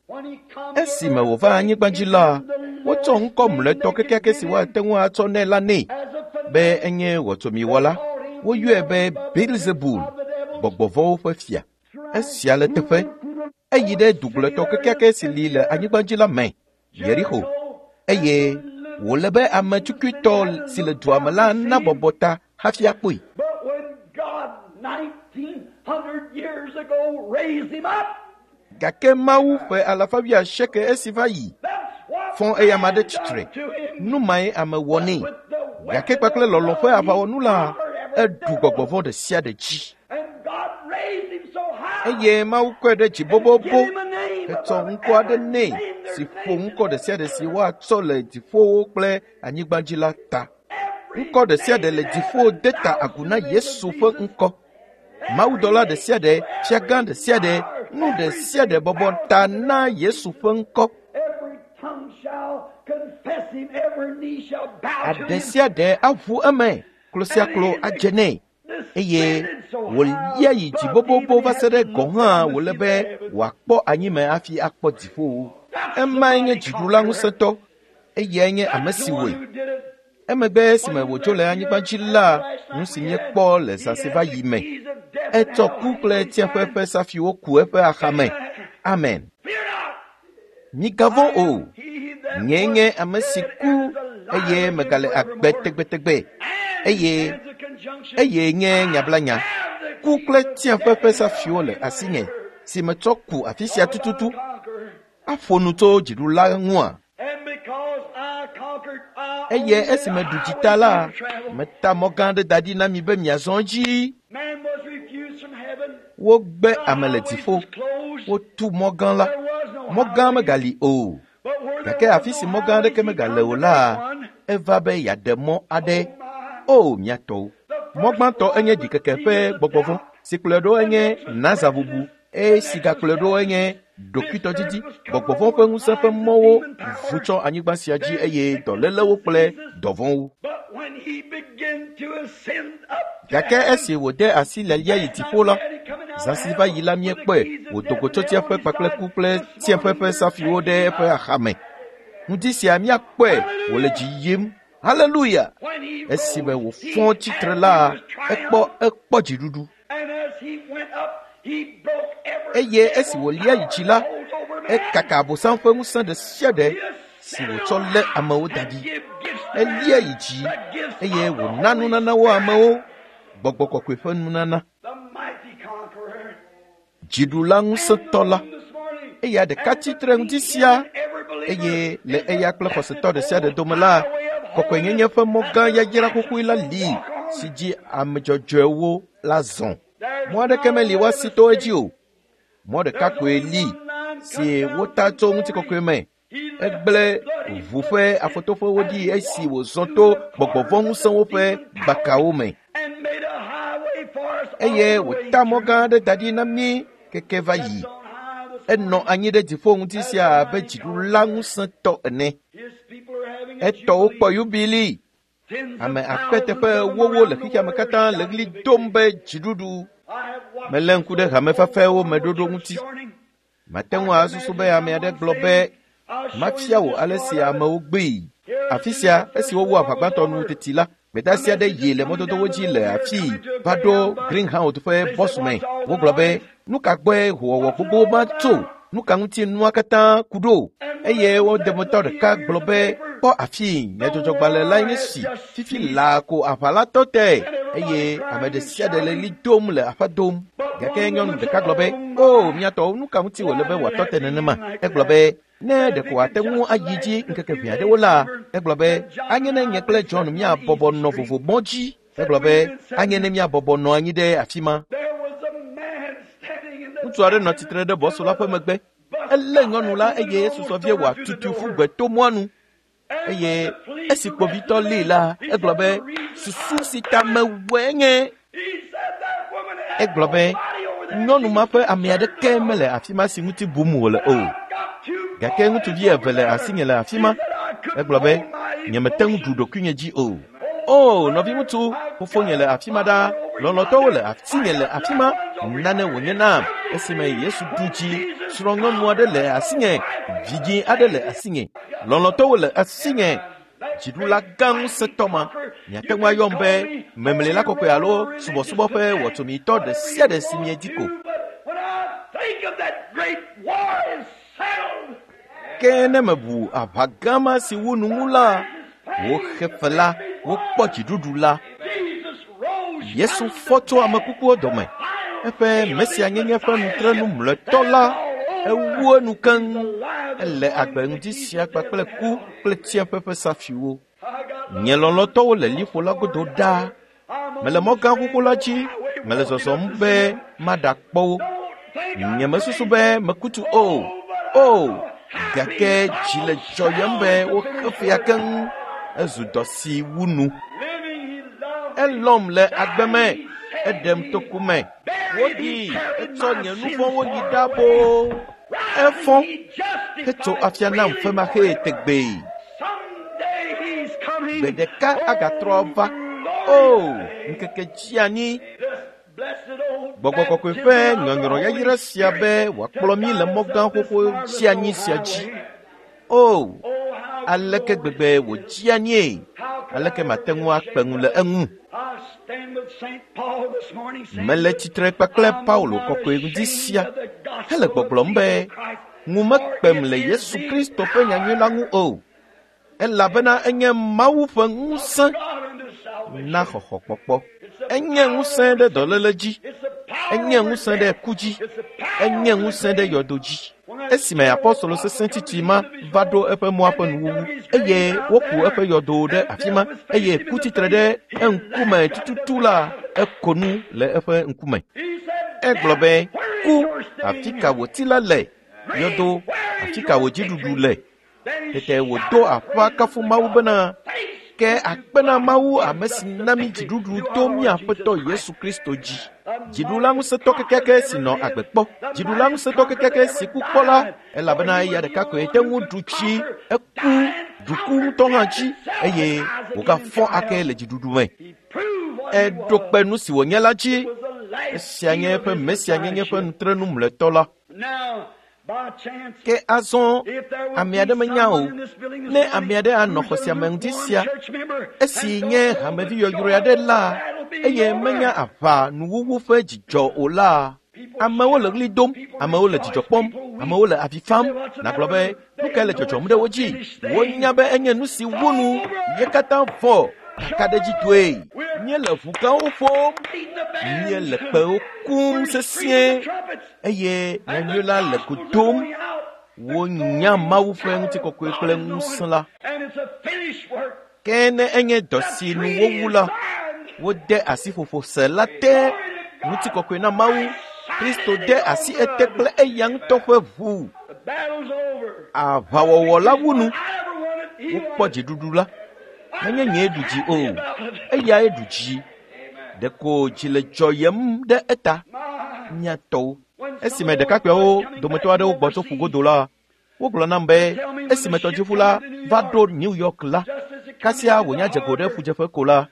Esime wòva anyigba dzi la, wotsɔ ŋkɔ mlɔetɔ kekeake si woate ŋu atsɔ nɛ la nɛ be enye wɔtsomiwɔla. Woyɔe be Beelzebul, gbɔgbɔvɔ̃wo ƒe fia. Esia le teƒe. Eyi ɖe dugblɔetɔ kekeake si li le anyigba dzi la me, Yeriko, eye wòle be ame tsukuitɔ si le dua me la nabɔbɔ ta hafi akpɔe. Gake Mawu ƒe alafa wuiasieke esi va yi fɔ eyama ɖe tsitre. Nu mae ame wɔ nɛ. Gake kpakple lɔlɔ̃ ƒe aʋawɔnu la, eɖu gbɔgbɔvɔ̃ ɖe sia ɖe dzi. Eye Mawu kɔe ɖe dzi bobobo hetsɔ ŋkɔ aɖe nɛ si ƒo ŋkɔ ɖe sia ɖe si woatsɔ le dziƒowo kple anyigba dzi la ta. Ŋkɔ ɖe sia ɖe le dziƒo de ta agu na Yesu ƒe ŋkɔ. Mawudɔla ɖe sia ɖe, fiagã ɖe sia ɖe, nu ɖe sia ɖe bɔbɔ ta na Yesu ƒe ŋkɔ. Aɖe sia ɖe aʋu eme, klo sia klo adze nɛ. Eye wòlia yi dzi bobobo va se ɖe gɔ̃ hã wòle be wòakpɔ anyime hafi akpɔ dziƒowo. Emae nye dziɖula ŋusẽtɔ. Eyae nye ame si wɔe. Emegbe esime wòdzo le anyigba dzi la, nu si míekpɔ le zã si va yi me, etsɔ ku kple tsiẽƒe ƒe safiwo ku eƒe axame. Amen. Migavɔ̃ o. Nyee nye ame si ku eye megale agbe tegbetegbe. Eye eye nye nyablanya. Ku kple tsiẽƒe ƒe safiwo le asinye si metsɔ ku afi sia tututu. Aƒo nu tso dziɖula ŋua? Eye esime ɖu dzi ta la, meta mɔ gã aɖe da ɖi na mi be miazɔ edzi. Wogbe ame le dziƒo. Wotu mɔ gã la. Mɔ gã megali o. Gake afi si mɔ gã aɖeke megale o la, eva be yeaɖe mɔ aɖe. O, mia tɔwo. Mɔ gbãtɔ enye ɖikeke ƒe gbɔgbɔvɔ̃, si kplɔe ɖo enye nazabubu, eye si gakplɔe ɖo enye ɖokuitɔdidi. Gbɔgbɔvɔ̃ ƒe ŋusẽ ƒe mɔwo vu tsɔ anyigba sia dzi eye dɔlélewo kple dɔvɔ̃wo. Gake esi wòde asi lialia yi dziƒo la, zã si va yi la míekpɔe wòdo go tso tsiẽƒe kpakple ku kple tsiẽƒe ƒe safiwo ɖe eƒe axame. Ŋdi sia míakpɔe wòle dzi yim. Haleluya! Esime wòfɔ tsitre la, ekpɔ ekpɔ dziɖuɖu. Eye esi wòlia yi dzi la, ekaka Abosam ƒe ŋusẽ ɖe sia ɖe si wòtsɔ lé amewo da ɖi. Elia yi dzi eye wòna nunanawo amewo, gbɔgbɔ kɔkɔe ƒe nunana. Dziɖula ŋusẽtɔ la. Eya ɖeka tsitre ŋuti sia eye le eya kple xɔsetɔ ɖe sia ɖe dome la, kɔkɔenyenye ƒe mɔ gã yayra xoxoe la li si dzi ame dzɔdzɔewo la zɔ. Mɔ aɖeke meli woasi to edzi o. Mɔ ɖeka koe li si wota tso ŋutikɔkɔe me. Egblẽ ʋu ƒe afɔtoƒewo ɖi esi wòzɔ to gbɔgbɔvɔ̃ ŋusẽwo ƒe gbakawo me. Eye wòta mɔ gã aɖe da ɖi na mí keke va yi. Enɔ anyi ɖe dziƒo ŋuti sia abe dziɖula ŋusẽtɔ ene. Etɔwo kpɔ yubili. Ame akpe teƒe wowo le xexeame katã le ɣli dom be dziɖuɖu. Melé ŋku ɖe hamefafɛwo me ɖoɖo ŋuti. Mate ŋu asusu be ame aɖe gblɔ be mafia wò ale si amewo gbee. Afi sia esi wowu aʋa gbãtɔ nu teti la, gbedeasi aɖe yi le mɔdodowo dzi le afii va ɖo Greenhouse ƒe bɔsu me. Wogblɔ be nu ka gbɔe howɔwɔ gbogbo ma tso? Nu ka ŋuti nua katã ku ɖo? Eye wo dometɔ ɖeka gblɔ be kpɔ afii nyadzɔdzɔgbalẽ la nye si fifi laa ko aʋa la tɔ te eye ame ɖe sia ɖe le ɣli dom le aƒe dom. Gake nyɔnu ɖeka gblɔ be o miatɔwo nu ka ŋuti wòle be wòatɔ te nenema? Egblɔ be ne ɖeko wòate ŋu ayi dzi ŋkeke ʋɛ aɖewo la, egblɔ be anye ne nye kple John míabɔbɔ nɔ vovo mɔ dzi. Egblɔ be anye ne míabɔbɔ nɔ anyi ɖe afi ma. Ŋutsu aɖe nɔ tsitre ɖe bɔsu la ƒe megbe. Elé nyɔnu la eye esusɔ vie wòatutu ƒu gbe to mɔa nu. Eye esi kpovitɔ lée la, egblɔ be susu si ta mewɔe nye. Egblɔ be nyɔnu ma ƒe ame aɖeke mele afi ma si ŋuti bum wòle o. Gake ŋutsuvi eve le asinye le afi ma. Egblɔ be nyemete ŋu ɖu ɖokuinye dzi o. O nɔviŋutsu, fofonye le afi ma ɖaa, lɔlɔ̃tɔwo le asinye le afi ma. Nane wònye nam esime Yesu ɖu dzi. Srɔ̃nyɔnu aɖe le asinye, vidzĩ aɖe le asinye, lɔlɔ̃tɔwo le asinye. Dziɖula gã ŋusẽtɔ ma, miate ŋu ayɔm be memlela kɔkɔe alo subɔsubɔ ƒe wɔtsomitɔ ɖe sia ɖe si miedi ko. Ke ne mebu aʋa gã ma si wu nu ŋu la, woxe fe la, wokpɔ dziɖuɖu la. Yesu fɔ tso ame kukuwo dome. Eƒe mesianyenye ƒe nutrenu mlɔetɔ la, ewu enu keŋ. Ele agbe ŋdi sia kpakple ku kple tsiẽƒe ƒe safiwo. Nye lɔlɔ̃tɔwo le liƒo la godo ɖaa. Mele mɔ gã xoxo la dzi, mele zɔzɔm be maɖakpɔ wo. Nyemesusu be mekutu o. O, gake dzi le dzɔyem be woxe fea keŋ. Ezu dɔ si wu nu. Elɔm le agbe me, eɖem to ku me. Woɖi, etsɔ nye nu vɔ̃wo yi ɖa boo. Efɔ hetso afia nam femaxee tegbee. Gbe ɖeka agatrɔ va. O, ŋkeke dzi anyi. Gbɔgbɔ kɔkɔe ƒe nyɔnyrɔ yayra sia be wòakplɔ mí le mɔ gã xoxo dzi anyi sia dzi. O, aleke gbegbe wòdzi anyie? Aleke mate ŋu akpe ŋu le eŋu? Mele tsitre kpakple Paulo kɔkɔe ŋdi sia hele gbɔgblɔm be ŋu mekpem le Yesu Kristo ƒe nyanyui la ŋu o, elabena enye Mawu ƒe ŋusẽ na xɔxɔkpɔkpɔ. Enye ŋusẽ ɖe dɔléle dzi, enye ŋusẽ ɖe ku dzi, enye ŋusẽ ɖe yɔdo dzi. Esime apɔstolo sesẽ tsitsi ma va ɖo eƒe mɔa ƒe nuwuwu eye woku eƒe yɔdo ɖe afi ma eye ku tsitre ɖe eŋkume tututu la, eko nu le eƒe ŋkume. Egblɔ be, ku, afi ka wò ti la le? Yɔdo, afi ka wò dziɖuɖu le? Tete wòdo aƒa kafu Mawu bena, ke akpe na Mawu ame si na mí dziɖuɖu to mía Aƒetɔ Yesu Kristo dzi. Dziɖula ŋusẽtɔ kekeake si nɔ agbe kpɔ, dziɖula ŋusẽtɔ kekeake si ku kpɔ la, elabena eya ɖeka koe te ŋu ɖu tsi, eku, ɖu ku ŋutɔ hã dzi eye wògafɔ ake le dziɖuɖu me. Eɖo kpe nu si wònye la dzi. Esia nye eƒe mesianyenye ƒe nutrenu mlɔetɔ la. Ke azɔ ame aɖe menya o. Ne ame aɖe anɔ xɔ sia me ŋdi sia, esi nye hamevi yɔyrɔe aɖe la, eye menya aʋa nuwuwu ƒe dzidzɔ o la, amewo le ɣli dom, amewo le dzidzɔ kpɔm, amewo le avi fam. Nàgblɔ be nu kae le dzɔdzɔm ɖe wo dzi? Wonya be enye nu si wu nu ye katã vɔ kakaɖedzitɔe. Míele ʋu gãwo ƒom, míele kpewo kum sesĩe, Eye nyanyui la le go dom. Wonya Mawu ƒe ŋutikɔkɔe kple ŋusẽ la. Ke ne enye dɔ si nu wowu la, wode asi ƒoƒo se la te. Ŋutikɔkɔe na Mawu. Kristo de asi ete kple eya ŋutɔ ƒe ʋu. Aʋawɔwɔ la wu nu. Wokpɔ dziɖuɖu la. Menye nyee ɖu dzi o, eyae ɖu dzi. Ɖeko dzi le dzɔyem ɖe eta. Mía tɔwo. Esime ɖekakpuiawo dometɔ aɖewo gbɔ tso ƒugodo la, wogblɔ nam be esime tɔdziʋu la va ɖo New York la, kasia wònya dze go ɖe ƒudzeƒe ko la,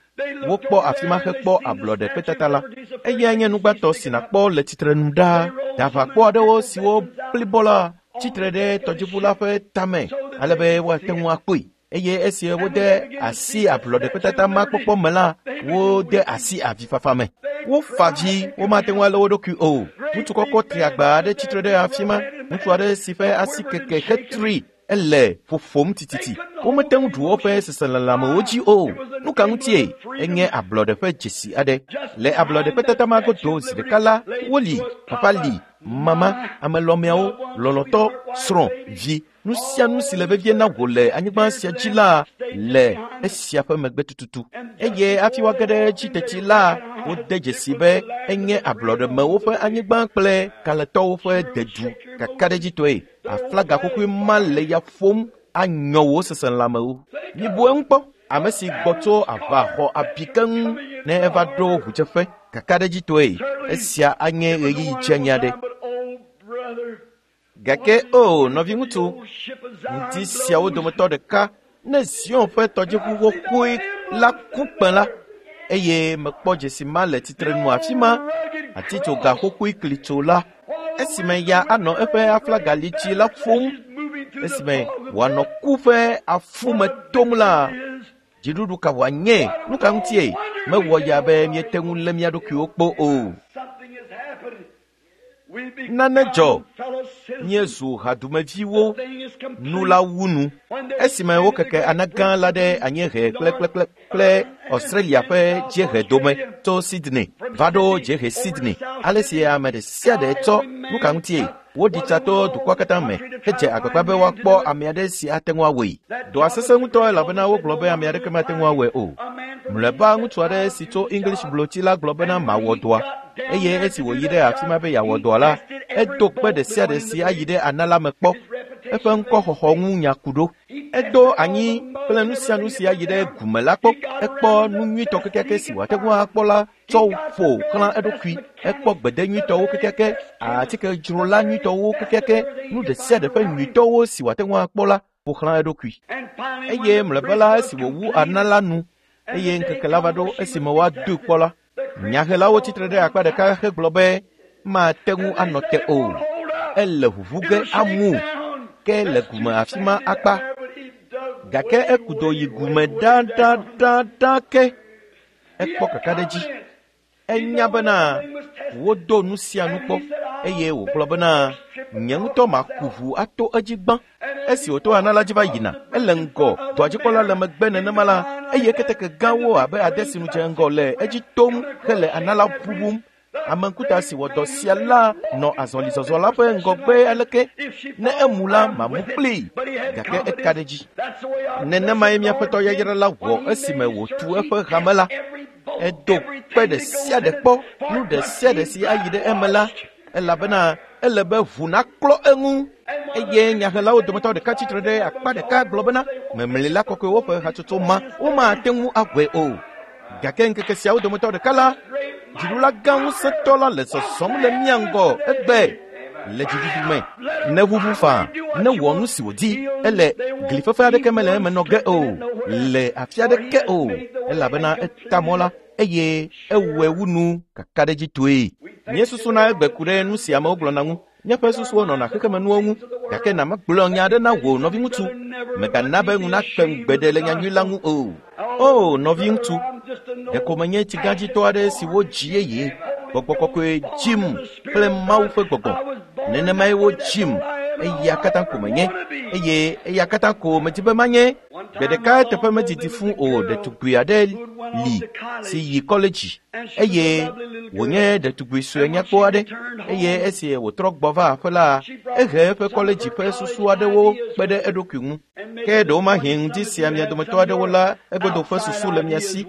wokpɔ afi ma hekpɔ ablɔɖe kpetata la. Eyae nye nugbãtɔ si nàkpɔ le tsitrenu ɖaa. Daʋakpɔ aɖewo siwo blibɔ la tsitre ɖe tɔdziʋu la ƒe tame ale be woate ŋu akpɔe. Eye esi wode asi ablɔɖe kpetata ma kpɔkpɔ me la, wode asi avifafa me. Wofa dzi, womate ŋu alé wo ɖokui o. Ŋutsu kɔkɔ tri agba aɖe tsitre ɖe afi ma. Ŋutsu aɖe si ƒe asi keke hetri ele ƒoƒom tititi. Womete ŋu ɖu woƒe seselelãmewo dzi o. Nu ka ŋutie? Enye ablɔɖe ƒe dzesi aɖe. Le ablɔɖe kpetata ma godo zi ɖeka la, woli, papa li, mama, amelɔmeawo, lɔlɔ̃tɔ, srɔ̃, vi, nu sia nu si le vevie na wò le anyigba sia dzi la le esia ƒe megbe tututu. Eye hafi woage ɖe edzi teti la, wode dzesi be enye ablɔɖemewo ƒe anyigba kple kalẽtɔwo ƒe dedu kakaɖedzitɔe. Aflaga xoxoe ma le ya ƒom anyɔ wò seselãmewo. Mibu eŋu kpɔ. Ame si gbɔ tso aʋa xɔ abi keŋ ne eva ɖo ʋudzeƒe kakaɖedzitɔe. Esia anye ɣeyiɣi dzeani aɖe. Gake o nɔviŋutsu, ŋdi siawo dometɔ ɖeka ne Zion ƒe tɔdziʋu xoxoe la ku kpẽ la, eye mekpɔ dzesi ma le tsitrenu afi ma, atitsoga xoxoe klitso la, esime ya anɔ eƒe aflaga litsi la ƒom, esime wòanɔ ku ƒe afume tom la, dziɖuɖu ka wòanye? Nu ka ŋutie? Mewɔ ya be míete ŋu lé mía ɖokuiwo kpɔ o. Nane dzɔ. Míezu hadumeviwo nu la wu nu. Esime wokeke ana gã la ɖe anyiehe kple kple kple Australia ƒe dziehe dome tso Sydney va ɖo dziehe Sydney. Ale si ame ɖe sia ɖe tsɔ nu ka ŋutie? Woɖi tsa to dukɔa katã me hedze agbagba be woakpɔ ame aɖe si ate ŋu awɔe. Dɔa sesẽ ŋutɔ elabena wogblɔ be ame aɖeke mate ŋu awɔe o. Mlɔeba ŋutsu aɖe si tso English blotsi la gblɔ bena mawɔ dɔa. Eye esi wòyi ɖe afi ma be yeawɔ dɔa la, edo kpe ɖe sia ɖe si ayi ɖe ana la me kpɔ. Eƒe ŋkɔxɔxɔ ŋu nya ku ɖo. Edo anyi kple nu sia nu si ayi ɖe gume la kpɔ. Ekpɔ nu nyuitɔ kekeake si wòate ŋu akpɔ la tsɔ ƒo xlã eɖokui. Ekpɔ gbede nyuitɔwo kekeake, atikedzrola nyuitɔwo kekeake, nu ɖe sia ɖe ƒe nyuitɔwo si wòate ŋu akpɔ la ƒo xlã eɖokui. Eye mlɔeba la esi wòwu ana la nu, eye ŋkeke la va ɖo esime woadoe kpɔ la, nyahelawo tsitre ɖe akpa ɖeka hegblɔ be mate ŋu anɔ te o. Ele ʋuʋu ge amu ke le gume afi ma akpa. Gake eku do yi gume ɖaɖaɖaɖa ke. Ekpɔ kakaɖedzi. Enya bena wodo nu sia nu kpɔ eye wògblɔ bena nye ŋutɔ maku ʋu ato edzi gbã. Esi wòto ana la dzi va yina, ele ŋgɔ, dɔadzikpɔla le megbe nenema la, eye keteke gãwo abe ade si nu dze ŋgɔ le edzi tom hele ana la ʋuʋum. Ame ŋkuta si wɔ dɔ sia la nɔ azɔlizɔzɔ la ƒe ŋgɔgbe aleke. Ne emu la, mamu kplii. Gake eka ɖe dzi. Nenemae míaƒe tɔ yayra la wɔ esime wòtu eƒe hame la. Edo kpe ɖe sia ɖe kpɔ, nu ɖe sia ɖe si ayi ɖe eme la, elabena ele be ʋu naklɔ eŋu. Eye nyahelawo dometɔ ɖeka tsitre ɖe akpa ɖeka gblɔ bena memlila kɔkɔewo ƒe hatsotso ma womate ŋu awɔe o. Gake ŋkeke siawo dometɔ ɖeka la, dziɖula gã ŋusẽtɔ la le zɔzɔm le mía ŋgɔ egbe le dziɖuɖu me. Ne ʋuʋu faa, ne wɔ nu si wòdi, ele glifefe aɖeke mele eme nɔ ge o, le afi aɖeke o, elabena eta mɔ la eye ewɔe wu nu kakaɖedzitɔe. Míesusuna egbe ku ɖe nu si amewo gblɔna ŋu. Míaƒe susuwo nɔna xexemenuwo ŋu, gake na magblɔ nya aɖe na wò nɔviŋutsu. Mègana be ŋu nakpe ŋugbe le nyanyui la ŋu o. O nɔviŋutsu, ɖeko menye tsigãdzitɔ aɖe si wodzi yeye, gbɔgbɔ kɔkɔe dzim kple Mawu ƒe gbɔgbɔ. Nenemae wodzim, eya katã ko menye, eye eya katã ko medi be manye. Gbe ɖeka eteƒe medidi fũ o, ɖetugbui aɖe li si yi kɔledzi eye Wònye ɖetugbui sue nyakpɔ aɖe eye esi wòtrɔ gbɔ va aƒe la, ehe eƒe kɔledzi ƒe susu aɖewo kpe ɖe eɖokui ŋu. Ke ɖewomahi ŋdi sia mia dometɔ aɖewo la egodo ƒe susu le mia si.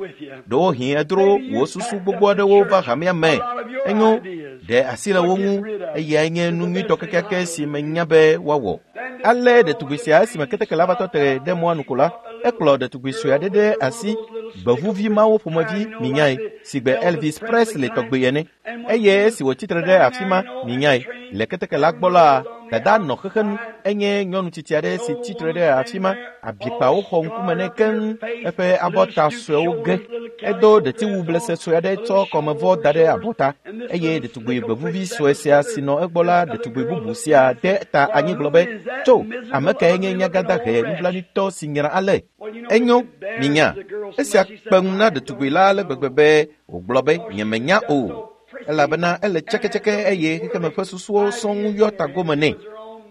Ɖewohĩ edro wò susu gbogbo aɖewo va hamea me. Enyo, ɖe asi le wo ŋu eyae nye nu nyuitɔ kekeake si menya be woawɔ. Ale ɖetugbui sia esime keteke la va tɔ te ɖe mɔa nu ko la, ekplɔ ɖetugbui sue aɖe ɖe asi, gbevuvi mawo ƒomevi minyae si gbe Elvis Presley tɔgbe ene. Eye esi wòtsi tre ɖe afi ma minyae le keteke la gbɔ la, dada nɔ xexenu. Enye nyɔnu tsitsi aɖe si tsi tre ɖe afi ma. Abikpawo xɔ ŋkume nɛ keŋ, eƒe abɔta suewo ge. Edo ɖetiwu blese sue aɖe tsɔ kɔmevɔ da ɖe abɔta eye ɖetugbui gbevuvi sue sia si nɔ egbɔ la ɖetugbui bubu sia de ta anyi gblɔ be, tso, ame kae nye nyagadahe nublanuitɔ si nyra ale? Enyo, minya. Esia kpe ŋu na ɖetugbui la ale gbegbe be wògblɔ be nyemenya o, elabena ele tsɛkɛtsɛkɛ eye xexeme ƒe susuwo sɔŋ yɔ tagome nɛ.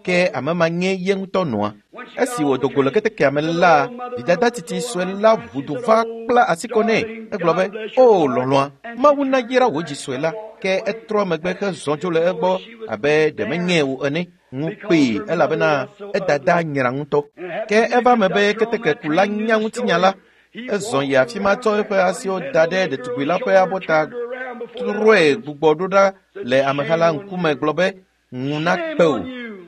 Ke ame ma nye ye ŋutɔ nɔa. Esi wòdo go le ketekea me la, vidada tsitsi sue la ʋu du va kpla asi kɔ nɛ. Egblɔ be, o lɔlɔ̃a, Mawu nayra wò dzi sue la. Ke etrɔ megbe hezɔ dzo le egbɔ abe ɖe menye wò ene. Ŋu kpee elabena edada nyra ŋutɔ. Ke eva me be ketekekula nya ŋutinya la. Ezɔ yi afi ma tsɔ eƒe asiwo da ɖe ɖetugbui la ƒe abɔta trɔe gbugbɔ ɖo ɖa le ameha la ŋkume gblɔ be, ŋu nakpe o,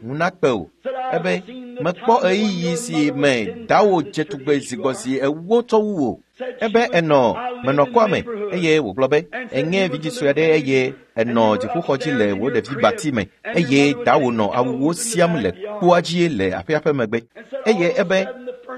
ŋu nakpe o. Ebe, mekpɔ ɣeyiɣi si me dawò dze tugbe zi gbɔ zi ewo tsɔ wu wò. Ebe enɔ menɔ kɔa me eye wògblɔ be, enye vidzĩ sue aɖe eye enɔ dziƒoxɔ dzi le wò ɖevi bati me eye dawò nɔ awuwo siam le kpoa dzi le aƒea ƒe megbe. Eye ebe,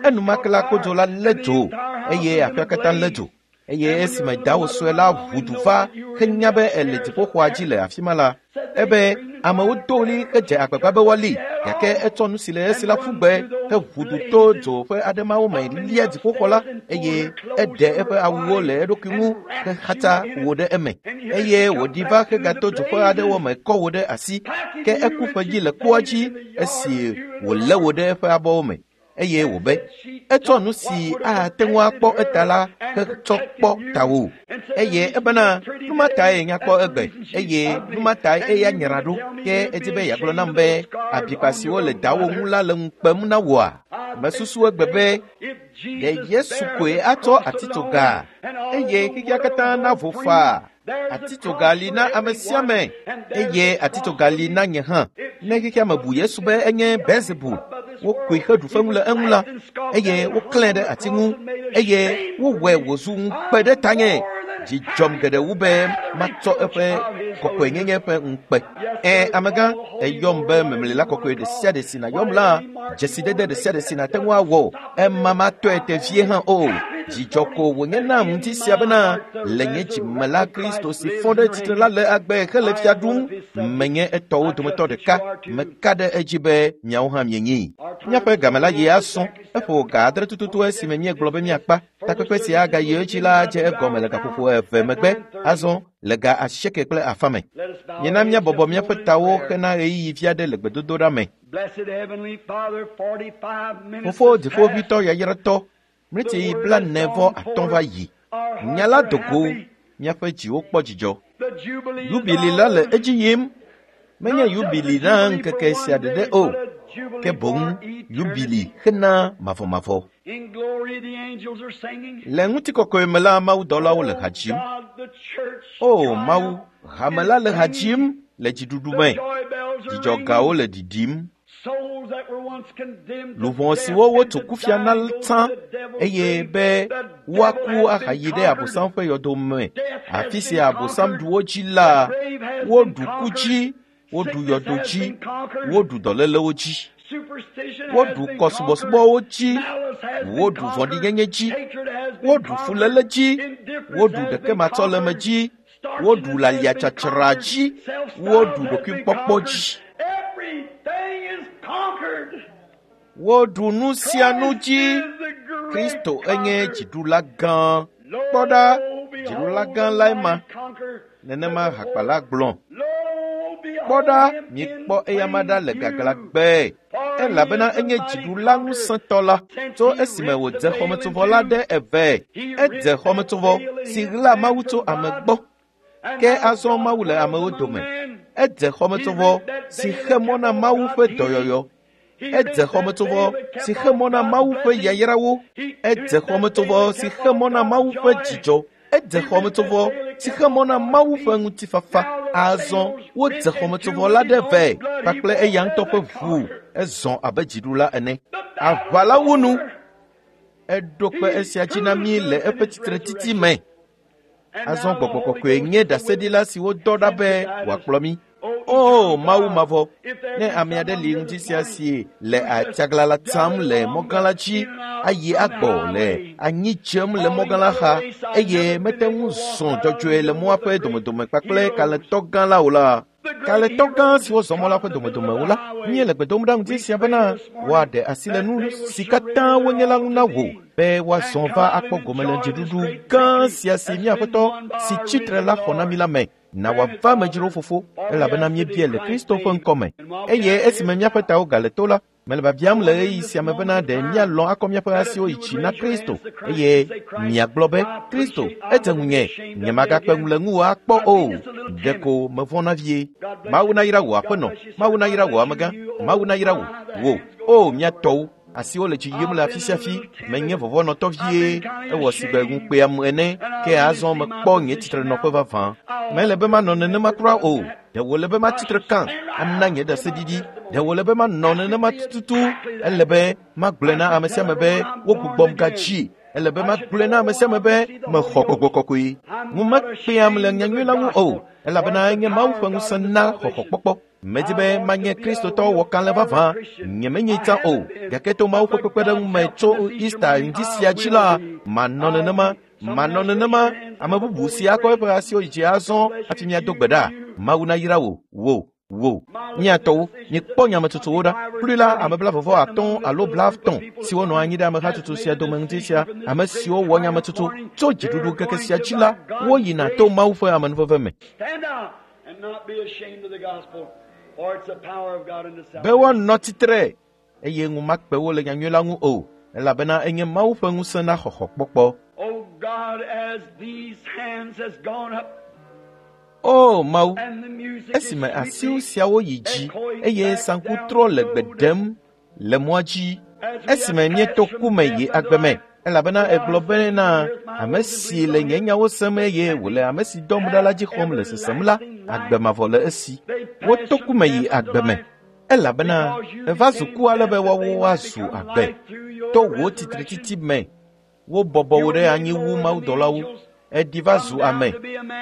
enumake la kodzo la lé dzo eye aƒea katã lé dzo. Eye esime dawò sue la ʋu du va henya be ele dziƒoxɔa dzi le afi ma la, ebe amewo do ɣli hedze agbagba be woali, gake etsɔ nu si le esi la ƒu gbe heʋu du to dzo ƒe aɖe mawo me lia dziƒoxɔ la eye eɖe eƒe awuwo le eɖokui ŋu hexatsa wo ɖe eme. Eye wòɖi va hegato dzo ƒe aɖewo me kɔ wo ɖe asi, ke eku ƒe dzi le kpoa dzi esi wòlé wo ɖe eƒe abɔwo me. Eye wòbe, etsɔ nu si ate ŋu akpɔ eta la hetsɔ kpɔ tawò. Eye ebena, nu ma tae nyakpɔ egbe, eye nu ma tae eya nyra ɖo. Ke edi be yeagblɔ nam be, abikpa siwo le dawò ŋu la le ŋu kpem na wòa? Mesusu egbe be, ɖe Yesu koe atsɔ atitsoga, eye xexea katã navo faa. Atitsoga li na ame sia ame, eye atitsoga li na nye hã. Ne xexea me bu Yesu be enye Beelzebul, wokoe heɖu fewu le eŋu la, eye woklãe ɖe ati ŋu, eye wowɔe wòzu ŋukpe ɖe tanye. Dzi dzɔm geɖe wu be matsɔ eƒe kɔkɔenyenye ƒe ŋukpe. Ẽ, amegã, eyɔm be memlila kɔkɔe ɖe sia ɖe si nàyɔm la, dzesidede ɖe sia ɖe si nàte ŋu awɔ, ema matɔe te vie hã o. Dzidzɔ ko wònye nam ŋuti sia bena le nye dzime la Kristo si fɔ ɖe tsitre la le agbe hele fia ɖum. Menye etɔwo dometɔ ɖeka. Meka ɖe edzi be miawo hã mienyi. Míaƒe game la yi asɔ. Eƒo ga adre tututu esime míegblɔ be míakpa. Takpekpe sia agayi edzi la dze egɔme le gaƒoƒo eve megbe, azɔ le ga asieke kple afã me. Míena míabɔbɔ míaƒe tawo hena ɣeyiɣi vi aɖe le gbedodoɖa me. Fofo dziƒoʋĩtɔ yayratɔ, mleti blaene vɔ atɔ̃ va yi. Nya la do go, míaƒe dziwo kpɔ dzidzɔ. Yubili la le edzi yim. Menye yubili na ŋkeke sia ɖeɖe o, ke boŋ yubili hena mavɔmavɔ. Le ŋutikɔkɔe me la, mawudɔlawo le ha dzim. O Mawu, hame la le ha dzim le dziɖuɖu me. Dzidzɔgawo le ɖiɖim. Luʋɔ siwo wotso kufia na tsã eye be woaku ahayi ɖe Abosam ƒe yɔdo me, afi sia Abosam ɖu wo dzi la, woɖu ku dzi, woɖu yɔdo dzi, woɖu dɔlélewo dzi, woɖu kɔsubɔsubɔwo dzi, woɖu vɔ̃ɖinyenye dzi, woɖu fuléle dzi, woɖu ɖekematsɔleme dzi, woɖu laliatsatsra dzi, woɖu ɖokuikpɔkpɔ dzi. Woɖu nu sia nu dzi. Kristo enye dziɖula gã. Kpɔ ɖa, dziɖula gã lae ma. Nenema hakpala gblɔ. Kpɔ ɖa, miekpɔ eyama ɖa le gaglãgbe, elabena enye dziɖula ŋusẽtɔ la. Tso esime wòdze xɔmetsovɔ la ɖe eve. Edze xɔmetsovɔ si ɣla Mawu tso ame gbɔ. Ke azɔ Mawu le amewo dome. Edze xɔmetsovɔ si xe mɔ na Mawu ƒe dɔyɔyɔ. Edze xɔmetsovɔ si xe mɔ na Mawu ƒe yayrawo. Edze xɔmetsovɔ si xe mɔ na Mawu ƒe dzidzɔ. Edze xɔmetsovɔ si xe mɔ na Mawu ƒe ŋutifafa. Azɔ wodze xɔmetsovɔ la ɖe vɛ kpakple eya ŋutɔ ƒe ʋu. Ezɔ abe dziɖula ene. Aʋa la wu nu. Eɖo kpe esia dzi na mí le eƒe tsitretsitsi me. Azɔ Gbɔgbɔ Kɔkɔe nye ɖaseɖila si wodɔ ɖa be wòakplɔ mí. O Mawu mavɔ, ne ame aɖe li ŋdi sia si le atsaglala tsam le mɔgã la dzi ayi agbɔ le anyi dzem le mɔgã la xa eye mete ŋu zɔ dzɔdzɔe le mɔa ƒe domedome kpakple kalẽtɔ gã la o la, kalẽtɔ gã siwo zɔ mɔ la ƒe domedome o la, míele gbe dom ɖa ŋdi sia bena woaɖe asi le nu si katã wonye la ŋu na wò be woazɔ va akpɔ gome le dziɖuɖu gã sia si mía Aƒetɔ si tsitre la xɔ na mí la me. Na wòava amedzrowo fofo, elabena míebia le Kristo ƒe ŋkɔme. Eye esime míaƒe tawo gale to la, mele biabiam le ɣeyiɣi sia me bena ɖe míalɔ̃ akɔ míaƒe asiwo yi dzi na Kristo, eye miagblɔ be, Kristo, edze ŋunye, nyemagakpe ŋu le ŋuwò akpɔ o. Ɖeko mevɔ̃na vie. Mawu nayra wò aƒenɔ, Mawu nayra wò amegã, Mawu nayra wò, wò, o mía tɔwo. Asiwo le dzi yim le afi sia afi, menye vɔvɔ̃nɔtɔ vie, ewɔ sigbe ŋukpeam ene, ke azɔ mekpɔ nye tsitrenɔƒe vavã. Mele be manɔ nenema kura o. Ɖe wòle be matsitre kã ana nye ɖaseɖiɖi. Ɖe wòle be manɔ nenema tututu. Ele be magblɔe na ame sia ame be wogbugbɔm gadzi. Ele be magblɔe na ame sia ame be mexɔ Gbɔgbɔ Kɔkɔe. Ŋu mekpeam le nyanyui la ŋu o, elabena enye Mawu ƒe ŋusẽ na xɔxɔkpɔkpɔ. Medi be manye Kristotɔ wɔkalẽ vavã. Nyemenyi tsã o, gake to Mawu ƒe kpekpeɖeŋu me tso Easter ŋdi sia dzi la, manɔ nenema, manɔ nenema. Ame bubu si akɔ eƒe asiwo yi dzi azɔ hafi míado gbe ɖa. Mawu nayra wò, wò, wò. Mía tɔwo, mikpɔ nyametsotsowo ɖa. Kplui la, ame blaeve atɔ̃ alo blaetɔ̃ siwo nɔ anyi ɖe amehatsotso sia dome ŋdi sia, ame siwo wɔ nyametsotso tso dziɖuɖu ŋkeke sia dzi la, woyina to Mawu ƒe amenuveve me. Be woanɔ tsitre eye ŋu makpe wo le nyanyui la ŋu o, elabena enye Mawu ƒe ŋusẽ na xɔxɔkpɔkpɔ. O Mawu, esime asiwo siawo yi dzi eye saŋku trɔ le gbe ɖem le mɔa dzi, esime míeto ku me yi agbe me, elabena egblɔ bena ame si le nye nyawo sem eye wòle ame si dɔm ɖa la dzi xɔm le sesem la, agbe mavɔ le esi. Woto ku me yi agbe me, elabena eva zu ku ale be woawo woazu agbe. To wò tsitretsitsi me, wobɔbɔ wò ɖe anyi wu mawudɔlawo. Eɖi va zu ame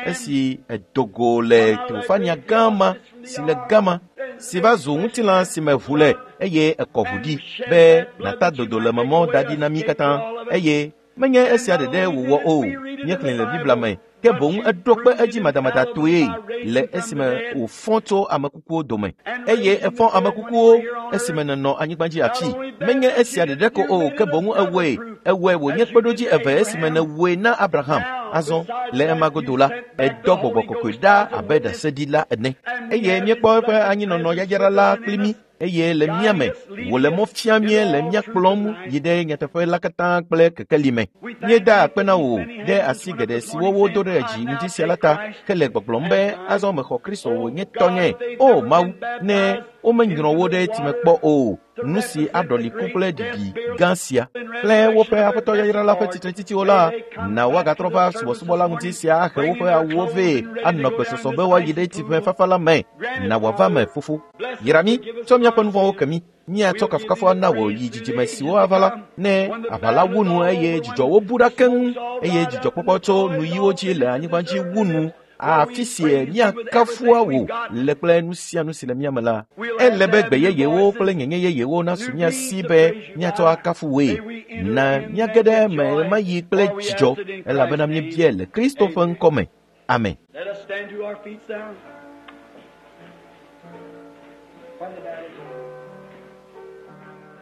esi edo go le teofania gã ma si le gama si va zu ŋutilã si me ʋu le eye ekɔ ʋu ɖi be nata dodo le memɔ da ɖi na mí katã. Eye menye esia ɖeɖe wòwɔ o, míexlẽ le Biblia me, ke boŋ eɖo kpe edzi madamadatɔe le esime wòfɔ tso ame kukuwo dome. Eye efɔ ame kukuwo esime nènɔ anyigba dzi afi. Menye esia ɖeɖe ko o, ke boŋ ewɔe, ewɔe wònye kpeɖodzi eve esime nèwɔe na Abraham. Azɔ le ema godo la, edɔ Gbɔgbɔ Kɔkɔe ɖa abe ɖaseɖila ene. Eye míekpɔ eƒe anyinɔnɔ yayra la kpli mí, eye le mía me wòle mɔ fia mí le mía kplɔm yi ɖe nyateƒe la katã kple kekeli me. Míeda akpe na wò ɖe asi geɖe siwo wodo ɖe dzi ŋdi sia la ta, hele gbɔgblɔm be azɔ mexɔ Kristo wònye tɔnye. O Mawu, ne womenyrɔ wo ɖe tsime kpɔ o, nu si aɖɔli ku kple ɖiɖi gã sia kple woƒe Aƒetɔ yayra la ƒe tsitretsitsiwo la, na woagatrɔ va subɔsubɔ la ŋuti sia ahe woƒe awuwo vɛ anɔ gbesɔsɔ be woayi ɖe tsiƒe fafa la me. Na wòava me, fofo. Yra mí, tsɔ míaƒe nu vɔ̃wo ke mí. Míatsɔ kafukafu ana wò yi dzidzime siwo ava la, ne aʋa la wu nu eye dzidzɔwo bu ɖa keŋ, eye dzidzɔkpɔkpɔ tso nuyiwo dzi le anyigba dzi wu nu. Afi si míakafua wò le kple nu sia nu si le mía me la, ele be gbe yeyewo kple nyenye yeyewo nasu mía si be míatsɔ akafu wòe. Na míage ɖe eme mayi kple dzidzɔ, elabena míebia le Kristo ƒe ŋkɔ me. Amen.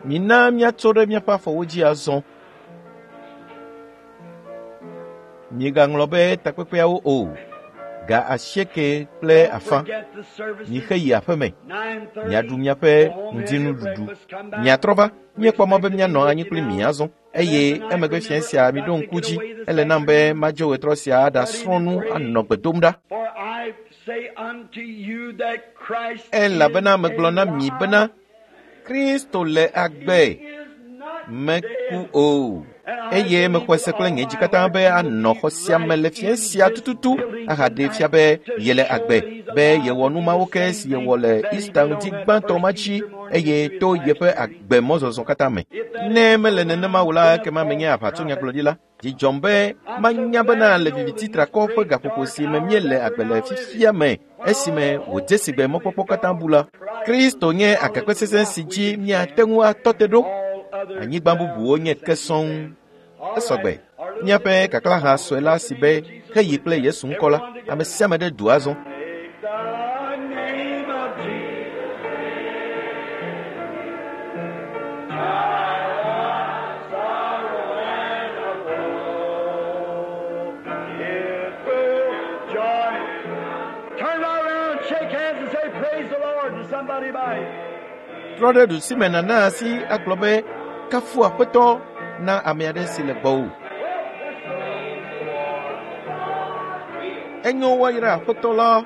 Mina míatso ɖe míaƒe afɔwo dzi azɔ. Migaŋlɔ be takpekpeawo o. Ga asieke kple afã. Mixe yi aƒeme. Miaɖu miaƒe ŋdinuɖuɖu. Miatrɔ va. Míekpɔ mɔ be míanɔ anyi kpli mi azɔ. Eye emegbe fiẽ sia miɖo ŋku dzi. Ele nam be madzo ɣetrɔ sia aɖasrɔ̃ nu anɔ gbe dom ɖa. Elabena megblɔ na mi bena Kristo le agbe, meku o. Eye mexɔe se kple nye dzi katã be anɔ xɔ sia me le fiẽ sia tututu ahaɖee fia be yele agbe, be yewɔ nu mawo ke si yewɔ le Easter ŋdi gbãtɔ ma dzi eye to yeƒe agbe mɔzɔzɔ katã me. Ne mele nenema o la, ekema menye aʋatsonyagblɔɖila. Dzi dzɔm be manya bena le viviti trakɔ ƒe gaƒoƒo si me míele agbe le fifia me, esime wòdze si gbe mɔkpɔkpɔ katã bu la, Kristo nye agakpe sesẽ si dzi míate ŋu atɔ te ɖo. Anyigba bubuwo nye ke sɔŋ. Esɔgbe. Míaƒe kaklaha sue la si be heyi kple Yesu ŋkɔ la, ame sia ame ɖe du azɔ. Trɔ ɖe ɖusime nàna asi agblɔ be kafu Aƒetɔ na ame aɖe si le gbɔwò. Enyo woayra Aƒetɔ la.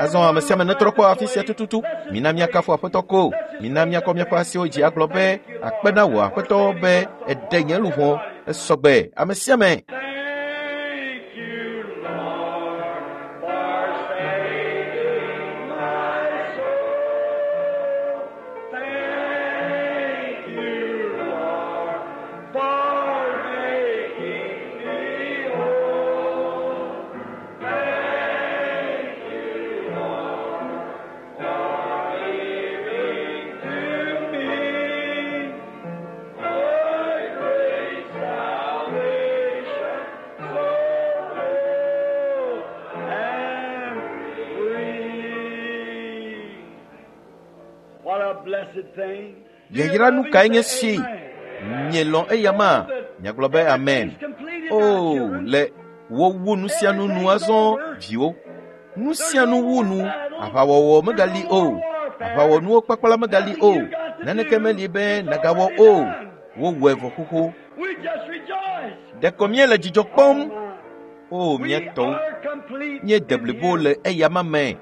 Azɔ ame sia ame netrɔ kpɔ afi sia tututu. Mina míakafu Aƒetɔ ko. Mina míakɔ míaƒe asiwo dzi agblɔ be akpe na wò Aƒetɔ be èɖe nye luʋɔ. Esɔgbe ame sia ame. Yayra nu kae nye si? Mielɔ̃ eyama? Miagblɔ be amen. O, le wowu nu sia nu nu azɔ, viwo. Nu sia nu wu nu. Aʋawɔwɔ megali o. Aʋawɔnuwo kpakpla megali o. Naneke meli be nagawɔ o. Wowɔe vɔ xoxo. Ɖeko míele dzidzɔ kpɔm. O, mía tɔwo. Míede blibo le eyama me.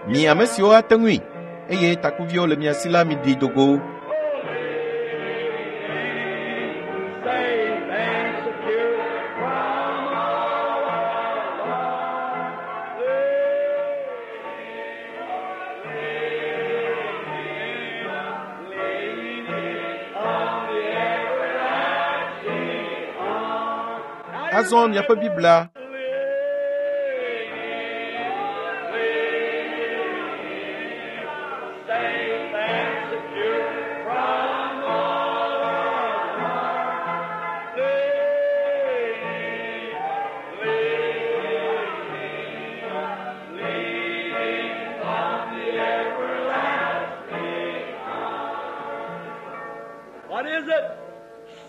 Mi ame siwo ate ŋui eye takuviwo le mia si la miɖi do go. Azɔ miaƒe Biblia.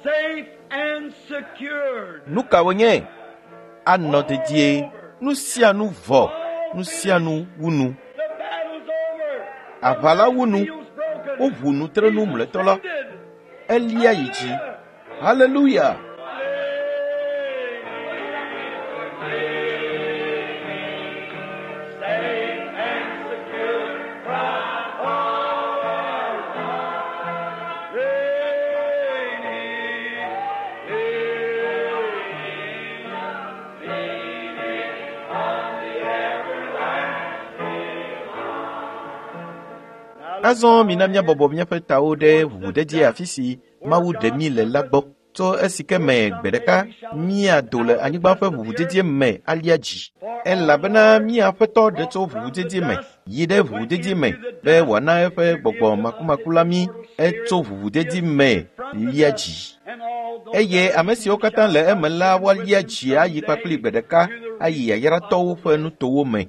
Safe and secured. Nu ka wònye? Anɔ dedie. Nu sia nu vɔ. Nu sia nu wu nu. The battle's over. Aʋa la wu nu. Seal's broken. Woʋu nutrenu mlɔetɔ la. Elia yi dzi. Haleluya! Safe and secure from all reigning, leaning on the everlasting arm. Azɔ mina míabɔbɔ míaƒe tawo ɖe ʋuʋudedi afi si Mawu ɖe mí le la gbɔ. Tso esi ke me gbe ɖeka míado le anyigba ƒe ʋuʋudedie me alia dzi. Elabena mía Aƒetɔ ɖe tso ʋuʋudedie me yi ɖe ʋuʋudedie me be wòana eƒe gbɔgbɔ makumaku la mí etso ʋuʋudedi me lia dzi. And all those Eye ame siwo katã le eme la woalia dzi ayi kpakpli gbe ɖeka ayi yayratɔwo ƒe nutowo me.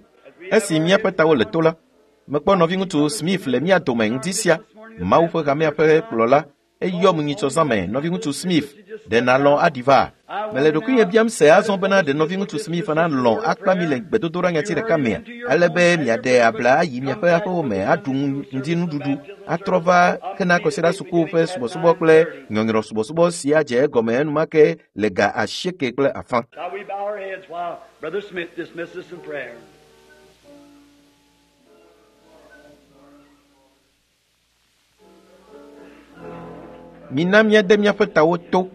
Esi míaƒe tawo le to la, mekpɔ nɔviŋutsu Smith le mía dome ŋdi sia, Mawu ƒe hamea ƒe kplɔla, eyɔm nyitsɔ zã me, nɔviŋutsu Smith, ɖe nàlɔ̃ aɖi va? Mele ɖokuinye biam se azɔ bena ɖe nɔviŋutsu Smith nalɔ̃ akpa mi le gbedodoɖa nyati ɖeka mea, ale be miaɖe abla ayi miaƒe aƒewo me aɖu ŋdinuɖuɖu, atrɔ va hena kɔsiɖa suku ƒe subɔsubɔ kple nyɔnyrɔ subɔsubɔ si adze egɔme enumake le ga asieke kple afã. Shall we bow our heads while Brother Smith dismisses us in prayer? Mina míade míaƒe tawo to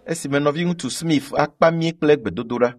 esime nɔviŋutsu Smith akpa mí kple gbedodoɖa.